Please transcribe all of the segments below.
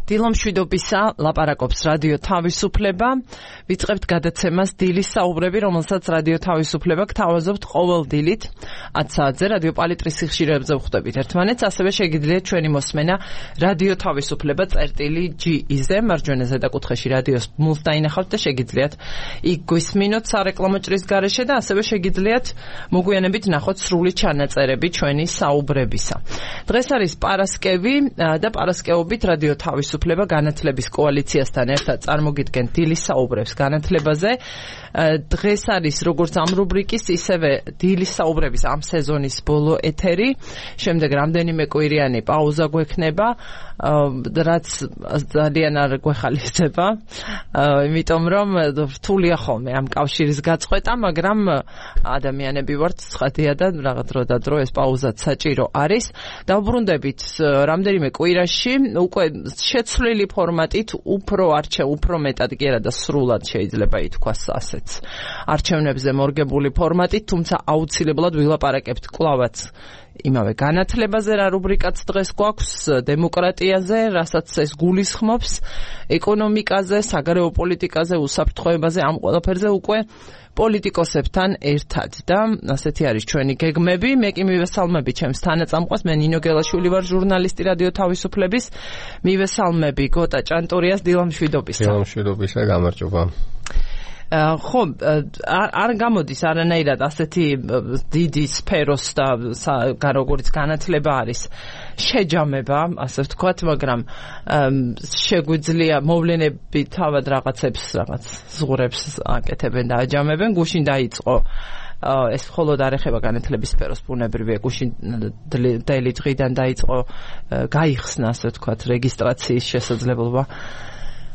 დილომშვიდობისა, ლაპარაკობს რადიო თავისუფლება. ვიწყებთ გადაცემას დილის საუბრები, რომელსაც რადიო თავისუფლება გთავაზობთ ყოველ დილით 10 საათზე რადიო პალიტრის სიხშირეებზე ვხვდებით ერთმანეთს, ასევე შეგიძლიათ ჩვენი მოსმენა რადიო თავისუფლება წერტილი.ge-ზე, მარჯვენა ზედაკუთხეში რადიოს მულს დაინახავთ და შეგიძლიათ იქ გვისმინოთ სარეკლამო ჭრის გარეშე და ასევე შეგიძლიათ მოგვიანებით ნახოთ სრული ჩანაწერები ჩვენი საუბრებისა. დღეს არის პარასკევი და პარასკევობით რადიო თავისუფლება განათლების კოალიციასთან ერთად წარმოგიდგენთ დილის საუბრებს განათლებაზე. დღეს არის როგორც ამ რუბრიკის, ისევე დილის საუბრების ამ სეზონის ბოლო ეთერი. შემდეგ რამდენიმე კვირიანი პაუზა გვექნება, რაც ძალიან არ გვეხალისება, იმიტომ რომ რთულია ხოლმე ამ კავშირის გაწყვეტა, მაგრამ ადამიანები ვართ, ცხადია და რაღაც დრო და დრო ეს პაუზაც საჭირო არის. დავბრუნდებით რამდენიმე კვირაში, უკვე შეცვლილი ფორმატით, უფრო მეტად კი არა და სრულად შეიძლება ითქვას ასეც. არჩევნებზე მორგებული ფორმატით, თუმცა აუცილებლად ვილაპარაკებთ კვლავაც იმავე განათლებაზე, რა რუბრიკაც დღეს გვაქვს, დემოკრატიაზე, რასაც ეს გულისხმობს, ეკონომიკაზე, საგარეო პოლიტიკაზე, უსაფრთხოებაზე, ამ ყველაფერზე უკვე პოლიტიკოსებთან ერთად და ასეთი არის ჩვენი გეგმები. მე კი მივესალმები ჩემს თანაწამყვას, მე ნინო გელაშვილი ვარ, ჟურნალისტი რადიო თავისუფლების. მივესალმები გოტა ჭანტურიას, დილამშვიდობისა. დილამშვიდობისა, გამარჯობა. ხო, არ გამოდის არანაირად ასეთი დიდი სფეროს და როგორც განათლება არის შეჯამება, ასე ვთქვათ, მაგრამ შეგვიძლია მოვლენები თავად რაღაც ზღურებს აკეთებენ და აჯამებენ. გუშინ დაიწყო ეს მხოლოდ არ ეხება განათლების სფეროს, ბუნებრივია, გუშინ დელი დღიდან დაიწყო გაიხსნა, ასე ვთქვათ, რეგისტრაციის შესაძლებლობა.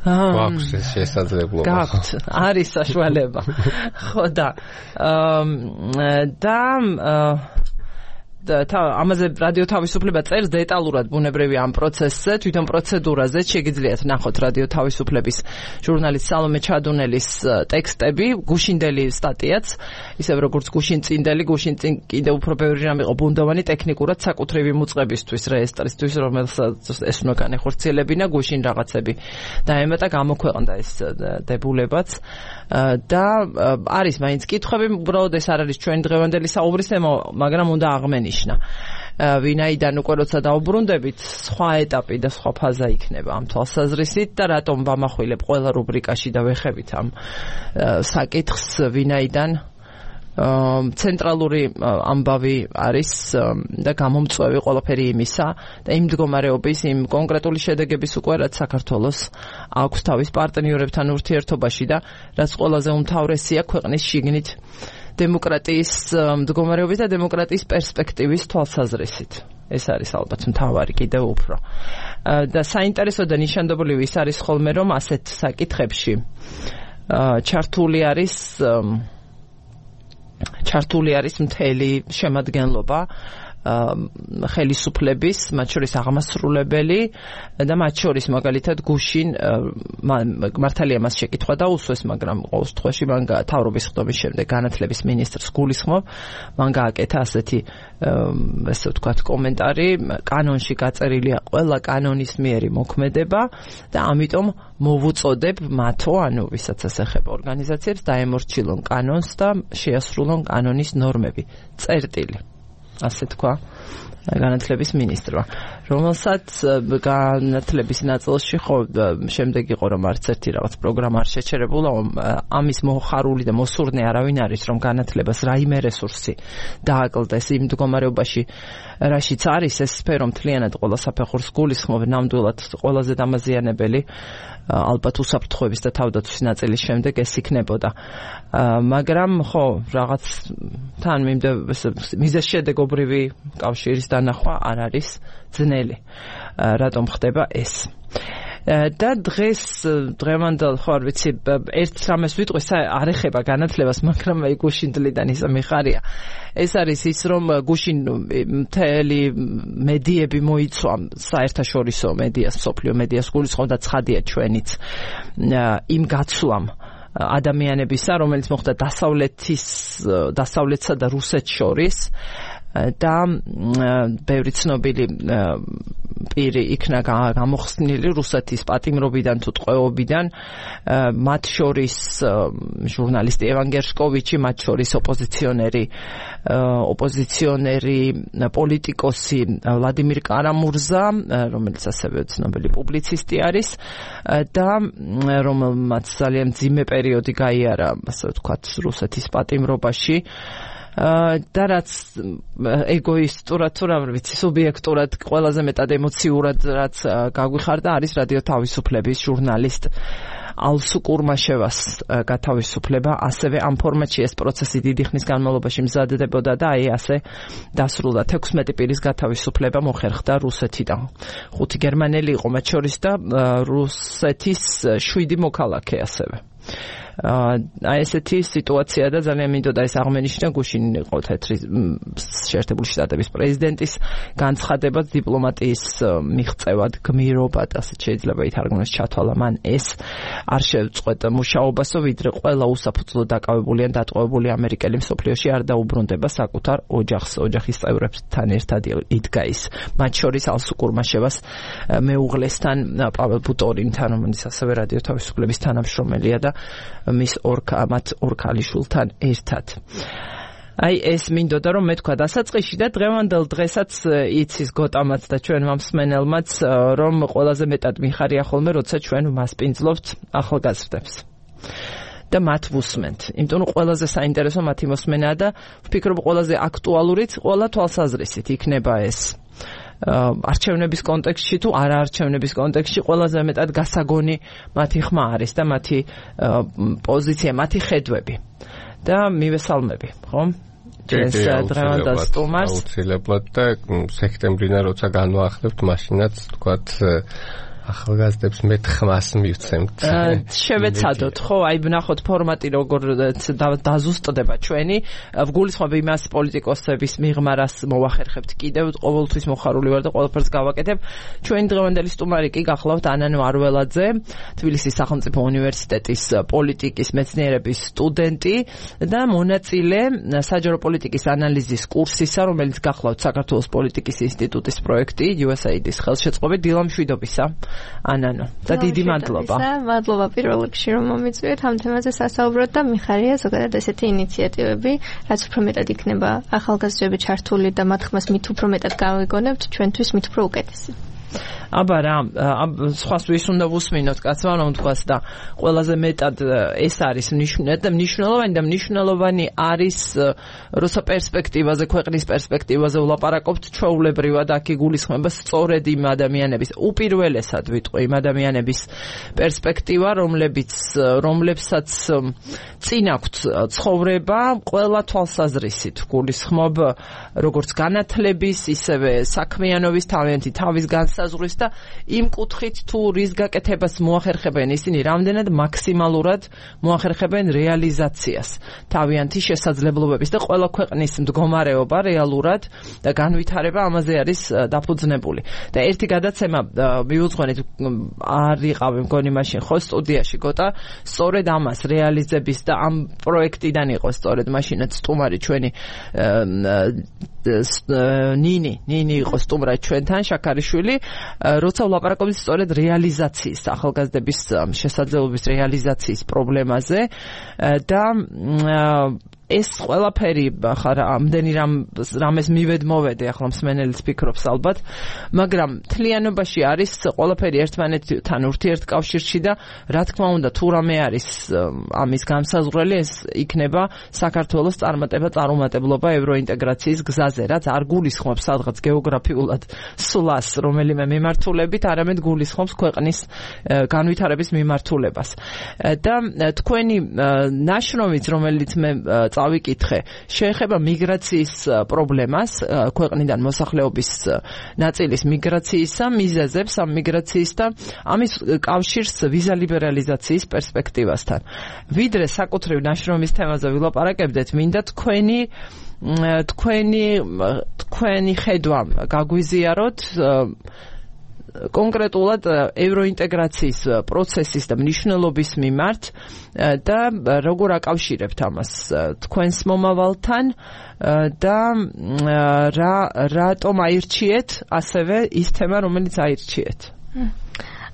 გვაქვს ეს შესაძლებლობა. გაქვთ, არის საშუალება. ხო და ამაზე რადიო თავისუფლება წერს დეტალურად ბუნებრივი ამ პროცესზე, თვითონ პროცედურაზე შეგიძლიათ ნახოთ რადიო თავისუფლების ჟურნალის სალომე ჩადუნელის ტექსტები, გუშინდელი სტატიაც, ისევ როგორც გუშინწინდელი, გუშინ წინ კიდევ უფრო ბევრი რამ იყო ბუნდოვანი ტექნიკურად საკუთრივი მუწყებისთვის, რეესტრისთვის, რომელსაც ეს უნდა განეხორციელებინა, გუშინ რაღაცები დაემატა, გამოქვეყნდა ეს დებულებაც და არის მაინც კითხვები, უბრალოდ ეს არ არის ჩვენი დღევანდელი საუბრის თემა, მაგრამ უნდა აღმენი ვინაიდან უკვე როცა დავბრუნდებით, სხვა ეტაპი და სხვა ფაზა იქნება ამ თვალსაზრისით და რატომ ვამახვილებ ყველა რუბრიკაში და ვეხებით ამ საკითხს, ვინაიდან ცენტრალური ამბავი არის და გამომწვევი ყველაფერი იმისა და იმ მდგომარეობის, იმ კონკრეტული შედეგების უკვე რაც საქართველოს აქვს თავის პარტნიორებთან ურთიერთობაში და რაც ყველაზე უმთავრესია ქვეყნის შიგნით დემოკრატიის მდგომარეობის და დემოკრატიის პერსპექტივის თვალსაზრისით. ეს არის ალბათ მთავარი კიდევ უფრო. და საინტერესო და ნიშანდობლივი ის არის ხოლმე, რომ ასეთ საკითხებში ჩართული არის მთელი შემადგენლობა ხელისუფლების, მათ შორის აღმასრულებელი და მათ შორის მაგალითად გუშინ მართალია მას შეკითხვა დაუსვეს, მაგრამ ყოველ შემთხვევაში მან თავრობის ხდომის შემდეგ განათლების მინისტრს გულისხმობ, მან გააკეთა ასეთი ესე ვთქვათ კომენტარი, კანონში გაწერილია ყველა კანონისმიერი მოქმედება და ამიტომ მოვუწოდებ მათო, ანუ ვისაც ეს ეხება ორგანიზაციებს, დაემორჩილონ კანონს და შეასრულონ კანონის ნორმები. წერტილი. ასე თქვა განათლების მინისტრმა, რომელსაც განათლების ნაწილში ხო შემდეგ იყო რომ არც ერთი რაღაც პროგრამა არ შეჩერებულა, ამის მოხარული და მოსურნე არავინ არის, რომ განათლებას რაიმე რესურსი დააკლდეს იმ მდგომარეობაში, რაშიც არის ეს სფერო მთლიანად ყველა საფეხურს გულისხმობ, ნამდვილად ყველაზე დამაზიანებელი, ალბათ უსაფრთხოების და თავდაცვის ნაწილის შემდეგ ეს იქნებოდა. მაგრამ ხო, რაღაც თან მიზეზშედეგობრივი კავშირის დანახვა არ არის ძნელი. რატომ ხდება ეს? და დღევანდელ ხო არ ვიცი, ერთ რამეს ვიტყვი, არ ეხება განათლებას, მაგრამ გუშინდლიდან ის მიხარია. ეს არის ის, რომ გუშინ მთელი მედიები მოიცვა, საერთაშორისო მედიას, მსოფლიო მედიას გულისხმობ და ცხადია ჩვენიც იმ გაცვლამ ადამიანებისა, რომელიც მოხდა დასავლეთსა და რუსეთს შორის, და ბევრი ცნობილი პირი იქნა გამოხსნილი რუსეთის პატიმრობიდან თუ ტყვეობიდან, მათ შორის ჟურნალისტი ევან გერშკოვიჩი, მათ შორის ოპოზიციონერი პოლიტიკოსი ვლადიმირ კარამურზა, რომელიც ასევე ცნობილი პუბლიცისტი არის და რომელმაც ძალიან მძიმე პერიოდი გაიარა, ასე ვთქვათ, რუსეთის პატიმრობაში. და რაც ეგოისტურად თუ რა ვიცი, სუბიექტურად ყველაზე მეტად ემოციურად რაც გაგვიხარდა არის რადიო თავისუფლების ჟურნალისტ ალსუ კურმაშევას გათავისუფლება. ასევე ამ ფორმატში ეს პროცესი დიდი ხნის განმავლობაში მზადდებოდა და აი ასე დასრულდა. 16 პირის გათავისუფლება მოხერხდა რუსეთიდან. 5 გერმანელი იყო მათ შორის და რუსეთის 7 მოქალაქე ასევე. აი ესეთი სიტუაცია და ძალიან მინდოდა ეს აღმენიშნა, გუშინ იყო თეთრი შეერთებული შტატების პრეზიდენტის განცხადება დიპლომატიის მიღწევად, გმირობად, ასე შეიძლება ითარგმნოს, ჩათვალა მან ეს არ შევწყვეტ მუშაობასო, ვიდრე ყველა უსაფუძვლოდ დაკავებული ან დატყვევებული ამერიკელი მსოფლიოში არ დაუბრუნდება საკუთარ ოჯახს, ოჯახის წევრებთან ერთად იდგა ის. მათ შორის ალსუ კურმაშევას მეუღლესთან, პაվել ბუტორინთან, რომელიც ასევე რადიო თავისუფლების თანამშრომელია და მის ორ ქალიშვილთან ერთად. აი ეს მინდოდა რომ მეთქვა დასაწყისში და დღევანდელ დღესაც იცის გოტამაც და ჩვენ მომსმენელმაც რომ ყველაზე მეტად მიხარია ხოლმე როცა ჩვენ მასპინძლობთ ახალგაზრდებს. და მათ ვუსმენთ. იმიტომ რომ ყველაზე საინტერესო მათი მოსმენაა და ვფიქრობ ყველაზე აქტუალურიც ყველა თვალსაზრისით იქნება ეს. არჩევნების კონტექსტში თუ არა არჩევნების კონტექსტში ყველაზე მეტად გასაგონი მათი ხმა არის და მათი პოზიცია, მათი ხედვები. და მივესალმები, ხო? ეს დღევანდელ სტუმარს. აუცილებლად და სექტემბრიდან როცა განვაახლებთ, მაშინაც თქვათ ახალგაზრდებს მეტ ხმას მივცემთ. შევეცადოთ, ხო, აი ვნახოთ ფორმატი როგორ დაზუსტდება ჩვენი. ვგულისხმობ იმას პოლიტიკოსების მიღმა, რას მოვახერხებთ კიდევ, ყოველთვის მოხარული ვარ და ყველაფერს გავაკეთებ. ჩვენი დღევანდელი სტუმარი კი გახლავთ ანანო არველაძე, თბილისის სახელმწიფო უნივერსიტეტის პოლიტიკის მეცნიერების სტუდენტი და მონაწილე საჯარო პოლიტიკის ანალიზის კურსისა, რომელიც გახლავთ საქართველოს პოლიტიკის ინსტიტუტის პროექტი USAID-ის ხელშეწყობით. დილამშვიდობისა. ანანო და დიდი მადლობა. მადლობა პირველ რიგში რომ მომიწვიეთ ამ თემაზე სასაუბროთ და მიხარია ზოგადად ესეთი ინიციატივები, რაც უფრო მეტად იქნება ახალგაზრდები ჩართული და მათ ხმას მით უფრო მეტად გავიგონებთ, ჩვენთვის მით უფრო უკეთესი. აბა რა, სხვას ვის უნდა ვუსმინოთ კაცმა რომ თქვას და ყველაზე მეტად ეს არის მნიშვნელოვანი არის როცა პერსპექტივაზე, ქვეყნის პერსპექტივაზე ვლაპარაკობთ, ჩვეულებრივად აქ იგულისხმება სწორედ იმ ადამიანების, უპირველესად ვიტყვი, იმ ადამიანების პერსპექტივა, რომლებსაც წინ აქვთ ცხოვრება ყველა თვალსაზრისით. გულისხმობ როგორც განათლების, ისევე საქმიანობის, თავის განსაზღვრის და იმ კუთხით თუ რის გაკეთებას მოახერხებენ ისინი, რამდენად მაქსიმალურად მოახერხებენ რეალიზაციას თავიანთი შესაძლებლობების და ყველა ქვეყნის მდგომარეობა რეალურად და განვითარება ამაზე არის დაფუძნებული. და ერთი გადაცემა მიუძღვენით არ იყავი მგონი მაშინ ხო სტუდიაში გოტა, სწორედ ამას რეალიზების და ამ პროექტიდან იყო სწორედ მაშინაც სტუმარი ჩვენი ნინი იყო სტუმრად ჩვენთან, შაქარიშვილი, როცა ვლაპარაკობთ სწორედ რეალიზაციის, ახალგაზრდების შესაძლებლობის რეალიზაციის პრობლემაზე და ეს ყველაფერი ახლა ამდენი რამეს მივედმოვედე, ახლა მსმენელიც ფიქრობს ალბათ, მაგრამ თლიანობაში არის ყველაფერი ერთმანეთთან ურთიერთკავშირში და რა თქმა უნდა თუ რამე არის ამის განსაზღვრელი, ეს იქნება საქართველოს წარუმატებლობა ევროინტეგრაციის გზაზე, რაც არ გულისხმობს სადღაც გეოგრაფიულად სვლას რომელიმე მიმართულებით, არამედ გულისხმობს ქვეყნის განვითარების მიმართულებას. და თქვენი ნაშრომიც, რომელიც მე წავიკითხე, შეეხება მიგრაციის პრობლემას, ქვეყნიდან მოსახლეობის ნაწილის მიგრაციისა, მიზეზებს ამ მიგრაციის და ამის კავშირს ვიზა ლიბერალიზაციის პერსპექტივასთან. ვიდრე საკუთრივ ნაშრომის თემაზე ვილაპარაკებდეთ, მინდა თქვენი ხედვა გაგვიზიაროთ კონკრეტულად ევროინტეგრაციის პროცესის და მნიშვნელობის მიმართ და როგორ აკავშირებთ ამას თქვენს მომავალთან და რატომ აირჩიეთ ასევე ის თემა, რომელიც აირჩიეთ?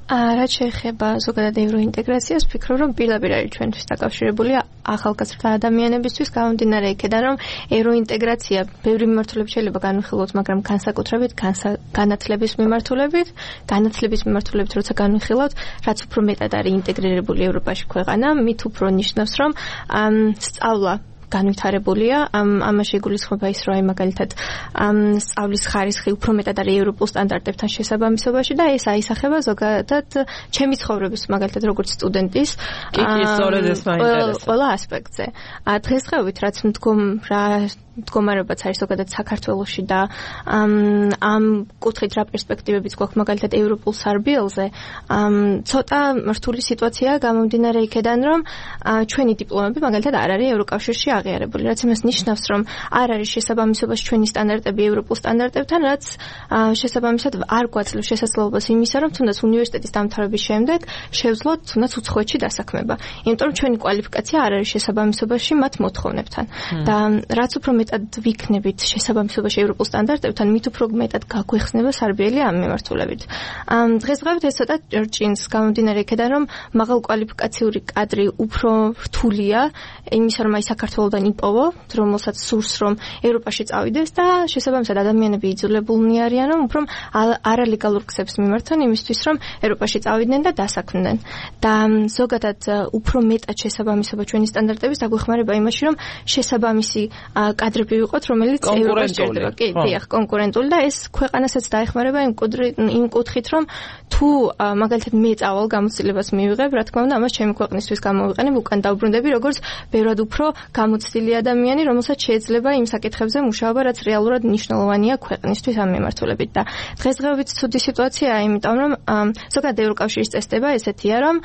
რაც შეეხება ზოგადად ევროინტეგრაციას, ვფიქრობ, რომ პირდაპირ არის ჩვენთვის დაკავშირებული ახალგაზრდა ადამიანებისთვის, გამომდინარე იქედან, რომ ევროინტეგრაცია ბევრი მიმართულებით შეიძლება განვიხილოთ, მაგრამ განსაკუთრებით განათლების მიმართულებით, როცა განვიხილოთ, რაც უფრო მეტად არის ინტეგრირებული ევროპაში ქვეყანა, მით უფრო ნიშნავს, რომ სწავლა განვითარებულია, ამაში იგულისხმება ის, რომ აი მაგალითად სწავლის ხარისხი უფრო მეტად არის ევროპულ სტანდარტებთან შესაბამისობაში და ეს აისახება ზოგადად ჩემი ცხოვრების მაგალითად როგორც სტუდენტის ყველა ასპექტზე. დღესდღეობით რაც მდგომარეობაც არის ზოგადად საქართველოში და ამ კუთხით რა პერსპექტივებიც გვაქვს მაგალითად ევროპულ სარბიელზე, ცოტა რთული სიტუაციაა გამომდინარე იქედან, რომ ჩვენი დიპლომები მაგალითად არ არის ევროკავშირში აღიარებული, რაც იმას ნიშნავს, რომ არ არის შესაბამისობაში ჩვენი სტანდარტები ევროპულ სტანდარტებთან, რაც შესაბამისად არ გვაძლევს შესაძლებლობას იმისა, რომ თუნდაც უნივერსიტეტის დამთავრების შემდეგ შევძლოთ თუნდაც უცხოეთში დასაქმება. იმიტომ რომ ჩვენი კვალიფიკაცია არ არის შესაბამისობაში მათ მოთხოვნებთან. და რაც უფრო მეტად ვიქნებით შესაბამისობაში ევროპულ სტანდარტებთან, მით უფრო მეტად გაგვეხსნება სარბიელი ამ მიმართულებით. დღესდღეობით ეს ცოტა ჭინს გამომდინარე იქედან, რომ მაღალ კვალიფიკაციური კადრი უფრო რთულია იმისა, რომ აი საქართველოდან იპოვო, რომელსაც სურს რომ ევროპაში წავიდეს და შესაბამისად ადამიანები იძულებულნი არიან, რომ უფრო არალეგალურ ქსებს მიმართონ იმისთვის, რომ ევროპაში წავიდნენ და დასაქმდნენ. და ზოგადად უფრო მეტად შესაბამისობა ჩვენი სტანდარტების დაგვეხმარება იმაში, რომ შესაბამისი კადრები ვიყოთ, რომელიც ევროპაში ჭირდება. კი, დიახ, კონკურენტული და ეს ქვეყანასაც დაეხმარება იმ კუთხით, რომ თუ მაგალითად მე წავალ გამოცდილებას მივიღებ, რა თქმა უნდა, ამას ჩემი ქვეყნისთვის გამოვიყენებ, უკან დავბრუნდები როგორც ბევრად უფრო გამოცდილი ადამიანი, რომელსაც შეიძლება იმ საკითხებზე მუშაობა, რაც რეალურად მნიშვნელოვანია ქვეყნისთვის ამ მიმართულებით. და დღესდღეობით ცუდი სიტუაციაა, იმიტომ რომ ზოგადად ევროკავშირის წესდება ესეთია, რომ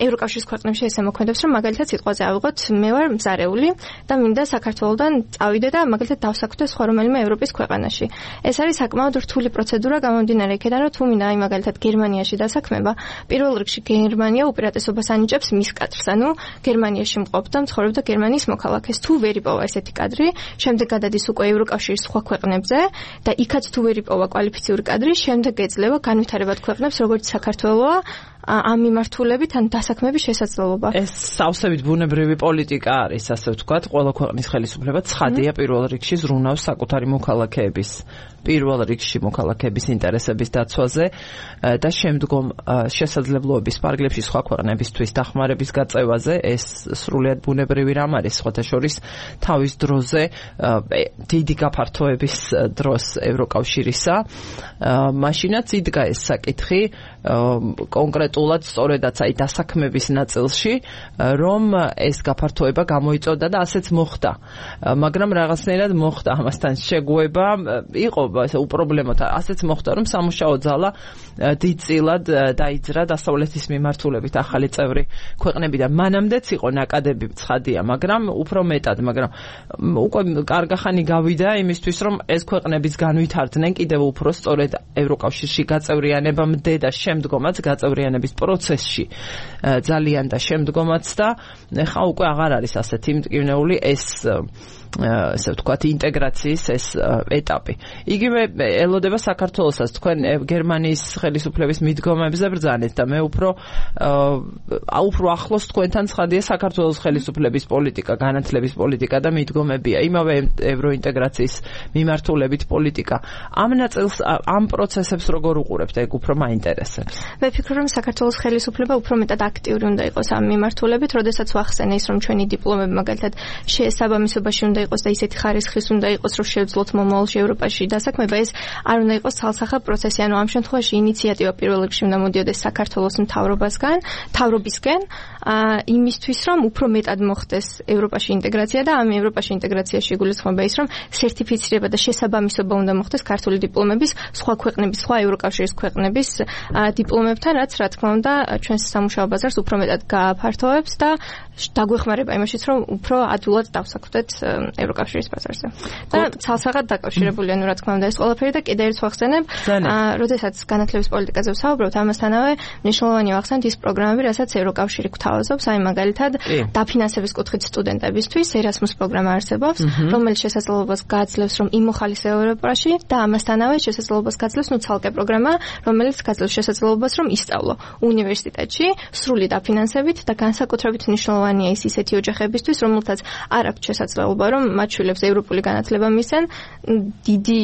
ევროკავშირის ქვეყნებში ესე მოქმედებს, რომ მაგალითად სიტყვაზე ავიღოთ, მე ვარ მზარეული და მინდა საქართველოდან წავიდე და მაგალითად დავსაქმდე სხვა რომელიმე ევროპის ქვეყანაში. ეს არის საკმაოდ რთული პროცედურა გამომდინარე იქედან, რომ თუ მინდა აი მაგალითად გერმანიაში დასაქმება, პირველ რიგში გერმანია უპირატესობას ანიჭებს მის კადრს, ანუ გერმანიაში მყოფ და მცხოვრებ და გერმანიის მოქალაქეს. თუ ვერ იპოვა ესეთი კადრი, შემდეგ გადადის უკვე ევროკავშირის სხვა ქვეყნებზე და იქაც თუ ვერ იპოვა კვალიფიციური კადრი, შემდეგ ეძლევა განვითარებად ქვეყნებს, როგორც საქართველოა, ამ მიმართულებით ან დასაქმების შესაძლებლობა. ეს სავსებით ბუნებრივი პოლიტიკა არის, ასე ვთქვათ, ყველა ქვეყნის ხელისუფლება ცხადია პირველ რიგში ზრუნავს საკუთარი მოქალაქეების ინტერესების დაცვაზე და შემდგომ შესაძლებლობების პარგლებში სხვა ქვეყნებისთვის დახმარების გაწევაზე. ეს სრულიად ბუნებრივი რამ არის, სხვათა შორის თავის დროზე დიდი გაფართოების დროს ევროკავშირისა. მაშინაც იდგა ეს საკითხი კონკრეტულად სწორედაც აი დასაქმების ნაწილში, რომ ეს გაფართოება გამოიწოდა და ასეც მოხდა. მაგრამ რაღაცნაირად მოხდა ამასთან შეგუება, იყო უპრობლემოთა, ასეც მოხდა, რომ სამუშაო ძალა დიდწილად დაიძრა დასავლეთის მიმართულებით ახალი წევრი ქვეყნებიდან. მანამდეც იყო ნაკადები ცხადია, მაგრამ უფრო მეტად, მაგრამ უკვე კარგახანი გავიდა იმისთვის, რომ ეს ქვეყნებიც განვითარდნენ კიდევ უფრო სწორედ ევროკავშირში გაწევრიანებამდე და შემდგომაც გაწევრიანების პროცესში ძალიან და შემდგომაც და ხა უკვე აღარ არის ასეთი მტკივნეული ესე ვთქვათ ინტეგრაციის ეს ეტაპი. იგივე ელოდება საქართველოსაც, თქვენ გერმანიის ხელისუფლების მიდგომებზე ბრძანეთ და მე უფრო ახლოს თქვენთან ცხადია საქართველოს ხელისუფლების პოლიტიკა, განათლების პოლიტიკა და მიდგომებია. იმავე ევროინტეგრაციის მიმართულებით პოლიტიკა. ამ ნაწილს, ამ პროცესებს როგორ უყურებთ, ეგ უფრო მაინტერესებს. მე ვფიქრობ, რომ საქართველოს ხელისუფლება უფრო მეტად აქტიური უნდა იყოს ამ მიმართულებით, როდესაც ვახსენე ის, რომ ჩვენი დიპლომები მაგალითად შესაბამისობაში უნდა იყოს და ისეთი ხარისხის უნდა იყოს, რომ შევძლოთ მომავალში ევროპაში დასაქმება, ეს არ უნდა იყოს ცალსახა პროცესი, ანუ ამ შემთხვევაში ინიციატივა პირველ რიგში უნდა მოდიოდეს საქართველოს მთავრობისგან, იმისთვის, რომ უფრო მეტად მოხდეს ევროპაში ინტეგრაცია და ამ ევროპაში ინტეგრაციაში გულისხმობა ის, რომ სერტიფიცირება და შესაბამისობა უნდა მოხდეს ქართული დიპლომების სხვა ქვეყნების, სხვა ევროკავშირის ქვეყნების დიპლომებთან, რაც რა თქმა უნდა ჩვენს სამუშაო ბაზარს უფრო მეტად გააფართოვებს და დაგვეხმარება იმაშიც, რომ უფრო ადვილად დავსაქმდეთ ევროკავშირის ბაზარზე. და ცალსაღად დაკავშირებული, ანუ რა თქმა უნდა ეს ყველაფერი და კიდე ერთს ვახსენებ, როდესაც განათლების პოლიტიკაზე ვსაუბრობთ, ამასთანავე მნიშვნელოვანია ვახსენოთ ის პროგრამები, რასაც ევროკავშირი გვთავაზობს, აი მაგალითად დაფინანსების კუთხით სტუდენტებისთვის Erasmus პროგრამა არსებობს, რომელიც შესაძლებლობას გააძლევს, რომ იმოხალისეო ევროპაში და ამასთანავე შესაძლებლობას გაძლევს ცალკე პროგრამა, რომელიც გაძლევს შესაძლებლობას, რომ ისწავლო უნივერსიტეტში სრული დაფინანსებით და განსაკუთრებით მნიშვნელოვანია ის ისეთი ოჯახებისთვის, რომელთაც არ აქვს შესაძლებლობა, რომ მათ შვილებს ევროპული განათლება მისცენ, დიდი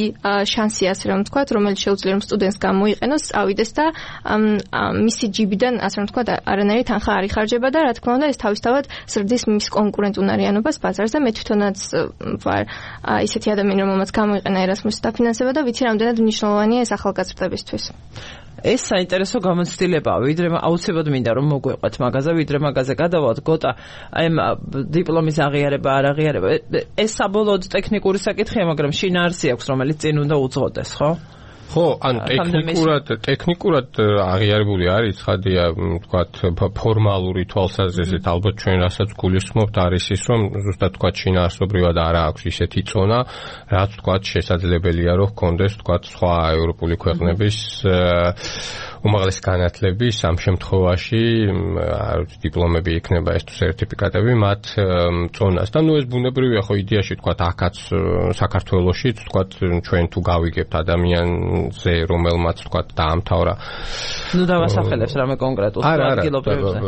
შანსია ასე რომ ვთქვათ, რომელიც შეუძლია რომ სტუდენტს გამოიყენოს, წავიდეს და მისი ჯიბიდან ასე რომ ვთქვათ, არანაირი თანხა არ იხარჯება და რა თქმა უნდა ეს თავისთავად ზრდის მის კონკურენტუნარიანობას ბაზარზე. მე თვითონაც ვარ ისეთი ადამიანი, რომელმაც გამოიყენა Erasmus-ის დაფინანსება და ვიცი რამდენად მნიშვნელოვანია ეს ახალგაზრდებისთვის. ეს საინტერესო გამოცდილებაა, ვიდრე აუცილებლად მინდა რომ მოგვეყვეთ მაგაზე, ვიდრე მაგაზე გადავალთ. გოტა, აი დიპლომის აღიარება, არ აღიარება, ეს საბოლოოდ ტექნიკური საკითხია, მაგრამ შინაარსი აქვს, რომელიც წინ უნდა უძღოდეს, ხო? ხო, ანუ ტექნიკურად აღიარებული არის, ცხადია, ვთქვათ, ფორმალური თვალსაზრისით, ალბათ ჩვენ რასაც გულისხმობთ არის ის, რომ ზუსტად ვთქვათ, შინაარსობრივად არ აქვს ისეთი წონა, რაც ვთქვათ, შესაძლებელია, რომ ჰქონდეს, ვთქვათ, სხვა ევროპული ქვეყნების უმაღლესი განათლების ამ შემთხვევაში დიპლომები იქნება ეს თუ სერტიფიკატები მათ წონას. და ნუ ეს ბუნებრივია, ხო, იდეაში ვთქვათ, აქაც საქართველოშიც, ვთქვათ, ჩვენ თუ გავიგებთ ადამიანზე, რომელმაც ვთქვათ, დაამთავრა. ნუ დავასახელებს რამე კონკრეტულ ადგილობრივებზე.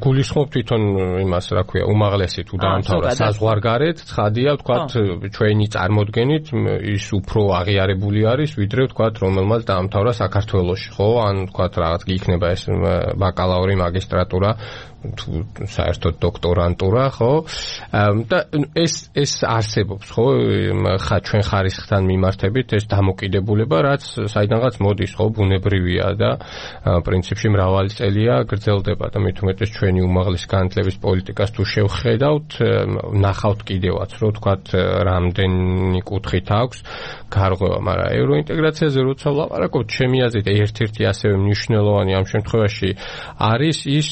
გულისხმობ თვითონ იმას, რა ქვია, უმაღლესი თუ დაამთავრა საზღვარგარეთ, ცხადია, ვთქვათ, ჩვენი წარმოდგენით ის უფრო აღიარებული არის, ვიდრე ვთქვათ, რომელმაც დაამთავრა საქართველოში, ხო? ვთქვათ, რაღაც იქნება ეს ბაკალავრი, მაგისტრატურა, საერთოდ დოქტორანტურა, ხო? და ეს არსებობს, ხო? ჩვენ ხარისხთან მიმართებით ეს დამოკიდებულება, რაც საიდანღაც მოდის, ხო, ბუნებრივია და პრინციპში მრავალი წელია გრძელდება და მით უმეტეს ჩვენი უმაღლესი განათლების პოლიტიკას თუ შევხედავთ, ნახავთ კიდევაც, რომ ვთქვათ, რამდენი კუთხით აქვს გარღვევა, მაგრამ ევროინტეგრაციაზე როცა ვლაპარაკობთ, ჩემი აზრით ერთ-ერთი ასევე მნიშვნელოვანი ამ შემთხვევაში არის ის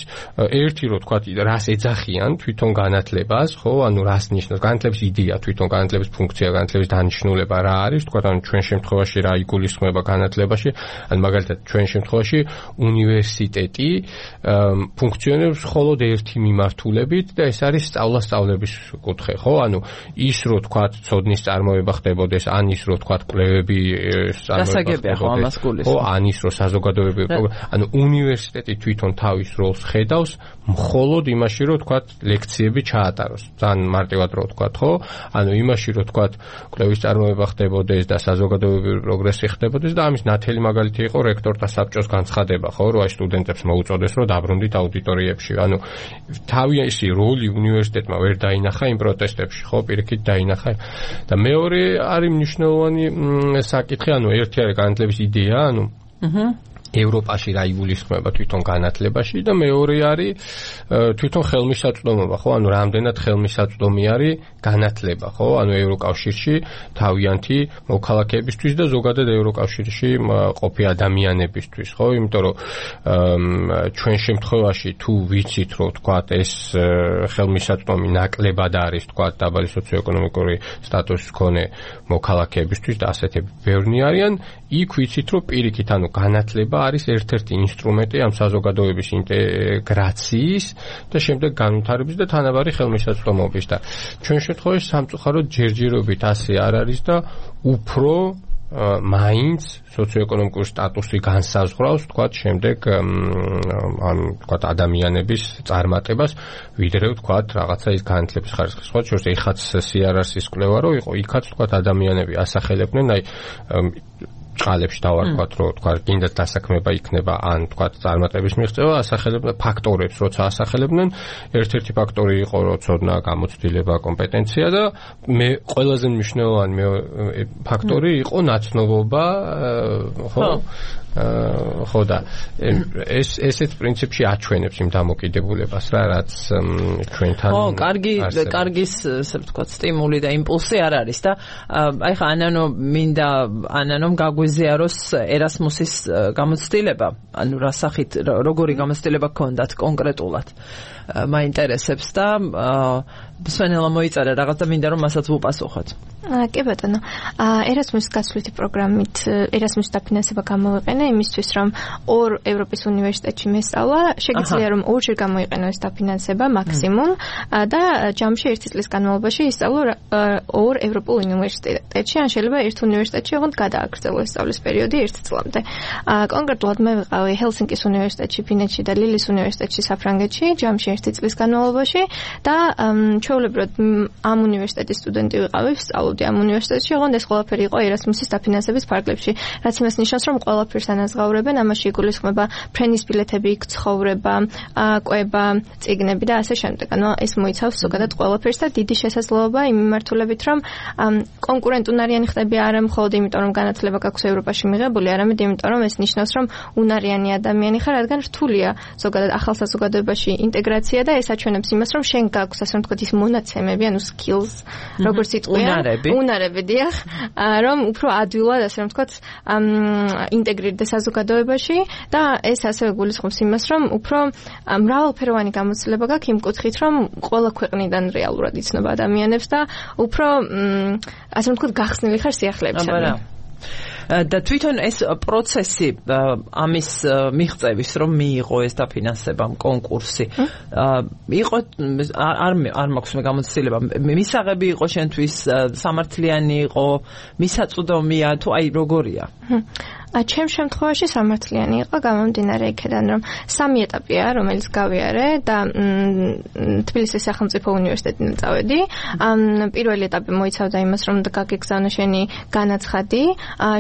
ერთი რო თქვა რას ეძახიან თვითონ განათლებას, ხო, ანუ რას ნიშნავს განათლების იდეა, თვითონ განათლების ფუნქცია, განათლების დანიშნულება რა არის, თქვა, ანუ ჩვენ შემთხვევაში რა იგულისხმება განათლებაში, ანუ მაგალითად ჩვენ შემთხვევაში უნივერსიტეტი ფუნქციონირებს მხოლოდ ერთი მიმართულებით და ეს არის სწავლების კუთხე, ხო, ანუ ის რო თქვა ცოდნის წარმოება ხდებოდეს, ან ის რო თქვა კვლევები დასაგებია, ხო, ამას გულისხმობს. ხო, ან ის რო საზოგადოებრივი პროგრამა, ანუ უნივერსიტეტი თვითონ თავის როლს ხედავს მხოლოდ იმაში, რომ თქვათ, ლექციები ჩაატაროს. ძალიან მარტივად რო თქვათ, ხო? ანუ იმაში, რომ თქვათ, კვლევის წარმოება ხდებოდეს და საზოგადოებრივი პროგრესი ხდებოდეს და ამის ნათელი მაგალითი იყო რექტორთა საბჭოს განცხადება, ხო, რომ აი სტუდენტებს მოუწოდეს, რომ დაბრუნდით აუდიტორიებში. ანუ თავისი როლი უნივერსიტეტმა ვერ დაინახა იმ პროტესტებში, ხო, პირიქით დაინახა. და მეორე არის მნიშვნელოვანი საკითხი, ანუ ერთი არის განათლების იდეა, ანუ ევროპაში რა იგულისხმება თვითონ განათლებაში და მეორე არის თვითონ ხელმისაწვდომობა, ხო? ანუ რამდენად ხელმისაწვდომი არის განათლება, ხო? ანუ ევროკავშირში თავიანთი მოქალაქეებისთვის და ზოგადად ევროკავშირში ყოფი ადამიანებისთვის, ხო? იმიტომ რომ ჩვენ შემთხვევაში თუ ვიცით, რომ თქვათ ეს ხელმისაწვდომი ნაკლებად არის, თქვათ, დაბალი სოციოეკონომიკური სტატუსის მქონე მოქალაქეებისთვის და ასეთები ბევრნი არიან, იქ ვიცით, რომ პირიქით, ანუ განათლება არის ერთ-ერთი ინსტრუმენტი ამ საზოგადოების ინტეგრაციის და შემდეგ განვითარების და თანაბარი ხელმისაწვდომობის და ჩვენ შემთხვევაში სამწუხაროდ ჯერჯერობით ასე არ არის და უფრო მაინც სოციოეკონომიკური სტატუსი განსაზღვრავს, თქვათ, შემდეგ ან თქვათ ადამიანების წარმატებას, ვიდრე თქვათ, რაღაცა ის განათლების ხარისხის სხვა შორის ეხაც CRRC-ის კვლევა რო იყო, იქაც თქვათ ადამიანები ასახელებდნენ, აი ბრჭყალებში დავარქვათ, რომ თქვა კიდე დასაქმება იქნება ან თქვა წარმატების მიღწევა, ასახელებდნენ ფაქტორებს, როცა ასახელებდნენ, ერთ-ერთი ფაქტორი იყო, რომ ცოდნა, გამოცდილება, კომპეტენცია და მე ყველაზე მნიშვნელოვანი ფაქტორი იყო ნაცნობობა, ხო და ესეც პრინციპში აჩვენებს იმ დამოკიდებულებას რა, რაც ჩვენთან კარგი ესე ვთქვათ სტიმული და იმპულსი არ არის და აი ხა ანანომ გაგვიზიაროს ერასმუსის გამოცდილება, ანუ რა სახით როგორი გამოცდილება გქონდათ კონკრეტულად მაინტერესებს და სვენელა მოიწერა რაღაც და მინდა რომ მასაც ვუპასუხოთ. კი ბატონო, ერასმუსის გასვლითი პროგრამით ერასმუსის დაფინანსება გამოვიყენა იმისთვის, რომ ორ ევროპის უნივერსიტეტში მესწავლა, შეგიძლია რომ ორჯერ გამოიყენო ეს დაფინანსება მაქსიმუმ და ჯამში ერთი წლის განმავლობაში ისწავლო ორ ევროპულ უნივერსიტეტში, ან შეიძლება ერთ უნივერსიტეტში ოღონდ გადააგრძელო სწავლის პერიოდი ერთ წლამდე. კონკრეტულად მე ვიყავი ჰელსინკის უნივერსიტეტში, ფინეთში და ლილის უნივერსიტეტში საფრანგეთში, ჯამში ერთი წლის განმავლობაში და ჩვეულებრივად ამ უნივერსიტეტის სტუდენტი ვიყავი, ვსწავლობდი ამ უნივერსიტეტში, ოღონდ ეს ყველაფერი იყო ერასმუსის დაფინანსების ფარგლებში, რაც იმას ნიშნავს, რომ ყველაფერს ანაზღაურებენ, ამაში იგულისხმება ფრენის ბილეთები, ცხოვრება, კვება, წიგნები და ასე შემდეგ. ანუ ეს მოიცავს ზოგადად ყველაფერს და დიდი შესაძლებლობა იმ მიმართულებით, რომ კონკურენტუნარიანი ხდები არა მხოლოდ იმიტომ, რომ განათლება გაქვს ევროპაში მიღებული, არამედ იმიტომ, რომ ეს ნიშნავს, რომ უნარიანი ადამიანი ხარ, რადგან რთულია ზოგადად ახალ საზოგადოებაში ინტეგრაცია და ეს აჩვენებს იმას, რომ შენ გაქვს ასე ვთქვათ ის მონაცემები, ანუ skills, როგორც იტყვიან, უნარები, დიახ, რომ უფრო ადვილად ასე ვთქვათ ინტეგრირდეს საზოგადოებაში და ეს ასევე გულისხმობს იმას, რომ უფრო მრავალფეროვანი გამოცდილება გაქვს იმ კუთხით, რომ ყველა ქვეყნიდან რეალურად იცნობა ადამიანებს და უფრო ასე ვთქვათ გახსნილი ხარ სიახლეებისადმი. და თვითონ ეს პროცესი ამის მიღწევის რომ მიიღო ეს დაფინანსება კონკურსი იყო არ მაქვს მე გამოცდილება მისაღები იყო შენთვის სამართლიანი იყო მისაწვდომია თუ აი როგორია ჩემ შემთხვევაში სამართლიანი იყო გამომდინარე იქიდან რომ სამი ეტაპია რომელიც გავიარე და თბილისის სახელმწიფო უნივერსიტეტიდან წავედი პირველი ეტაპი მოიცავდა იმას რომ გაგეგზავნო შენი განაცხადი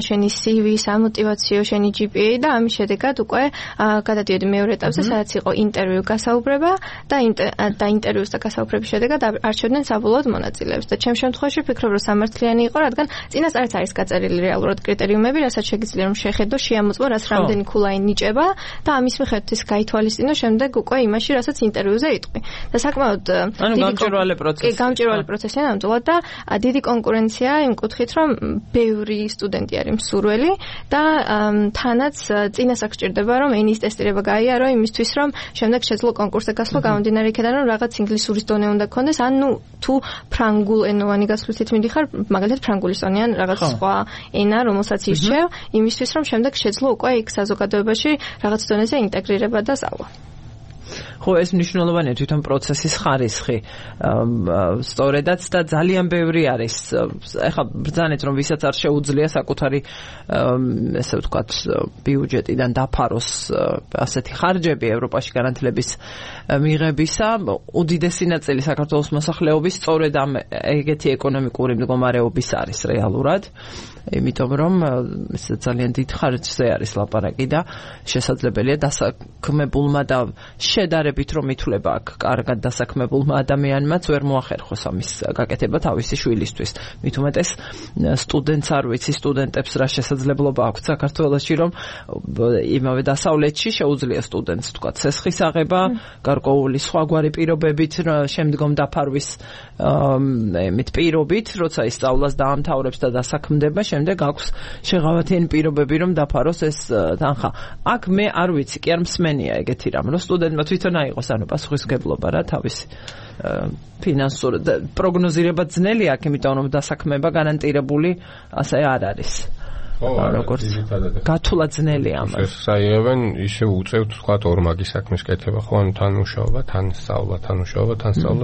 შენი CV სამოტივაციო შენი GPA და ამის შედეგად უკვე გადადიოდი მეორე ეტაპზე სადაც იყო ინტერვიუ გასაუბრება და ინტერვიუს და გასაუბრების შედეგად არჩევდნენ საბოლოოდ მონაწილეებს და ჩემ შემთხვევაში ვფიქრობ რომ სამართლიანი იყო რადგან წინასწარაც არის გაწერილი რეალურად კრიტერიუმები რასაც შეგიძლია რომ შეხედო შეამოწმო რას რამდენი ქულაი ნიჭება და ამის მიხედვით ის გაითვალისწინო შემდეგ უკვე იმაში რასაც ინტერვიუზე იტყვი და საკმაოდ გამჭვირვალე პროცესია ნამდვილად და დიდი კონკურენცია იმ კუთხით რომ ბევრი სტუდენტი არის მსურველი და თანაც წინასწარ გჭირდება რომ ენის ტესტირება გაიარო იმისთვის რომ შემდეგ შეძლო კონკურსზე გასვლა გამომდინარე იქიდან რომ რაღაც ინგლისურის დონე უნდა გქონდეს ან ნუ თუ ფრანგულ ენოვანი გასვლით მიდიხარ მაგალითად ფრანგულის დონე ან რაღაც სხვა ენა რომელსაც ირჩევ იმისთვის რომ შემდეგ შეძლო უკვე იქ საზოგადოებაში რაღაც დონეზე ინტეგრირება და სწავლა. ხო ეს მნიშვნელოვანია თვითონ პროცესის ხარისხი სწორედაც და ძალიან ბევრი არის ეხლა ბრძანეთ რომ ვისაც არ შეუძლია საკუთარი ესე ვთქვათ ბიუჯეტიდან დაფაროს ასეთი ხარჯები ევროპაში განათლების მიღებისა უდიდესი ნაწილი საქართველოს მოსახლეობის სწორედ ამ ეგეთი ეკონომიკური მდგომარეობის არის რეალურად იმიტომ რომ ეს ძალიან დიდ ხარჯზე არის ლაპარაკი და შესაძლებელია დასაქმებულმა და შედარებით რომ ითვლება აქ კარგად დასაქმებულმა ადამიანმაც ვერ მოახერხოს ამის გაკეთება თავისი შვილისთვის. მით უმეტეს სტუდენტს არ ვიცი სტუდენტებს რა შესაძლებლობა აქვს საქართველოში რომ იმავე დასავლეთში შეუძლია სტუდენტს თქვა ცესხის აღება, გარკვეული სხვაგვარი პირობებით შემდგომ დაფარვის მით პირობით, როცა ისწავლას დაამთავრებს და დასაქმდება, შემდეგ აქვს შეღავათიანი პირობები რომ დაფაროს ეს თანხა. აქ მე არ ვიცი, კი არ მსმენია ეგეთი რამ, რომ სტუდენტმა თვითონ აიღოს ანუ პასუხისმგებლობა რა თავისი ფინანსური პროგნოზირება ძნელი აქ, იმიტომ რომ დასაქმება გარანტირებული ასე არ არის. როგორც გათვლა ძნელია ამას. საერთოდ ისე უწევთ თქვა ორმაგი საქმის კეთება ხო ან თანმუშაობა, თან სწავლა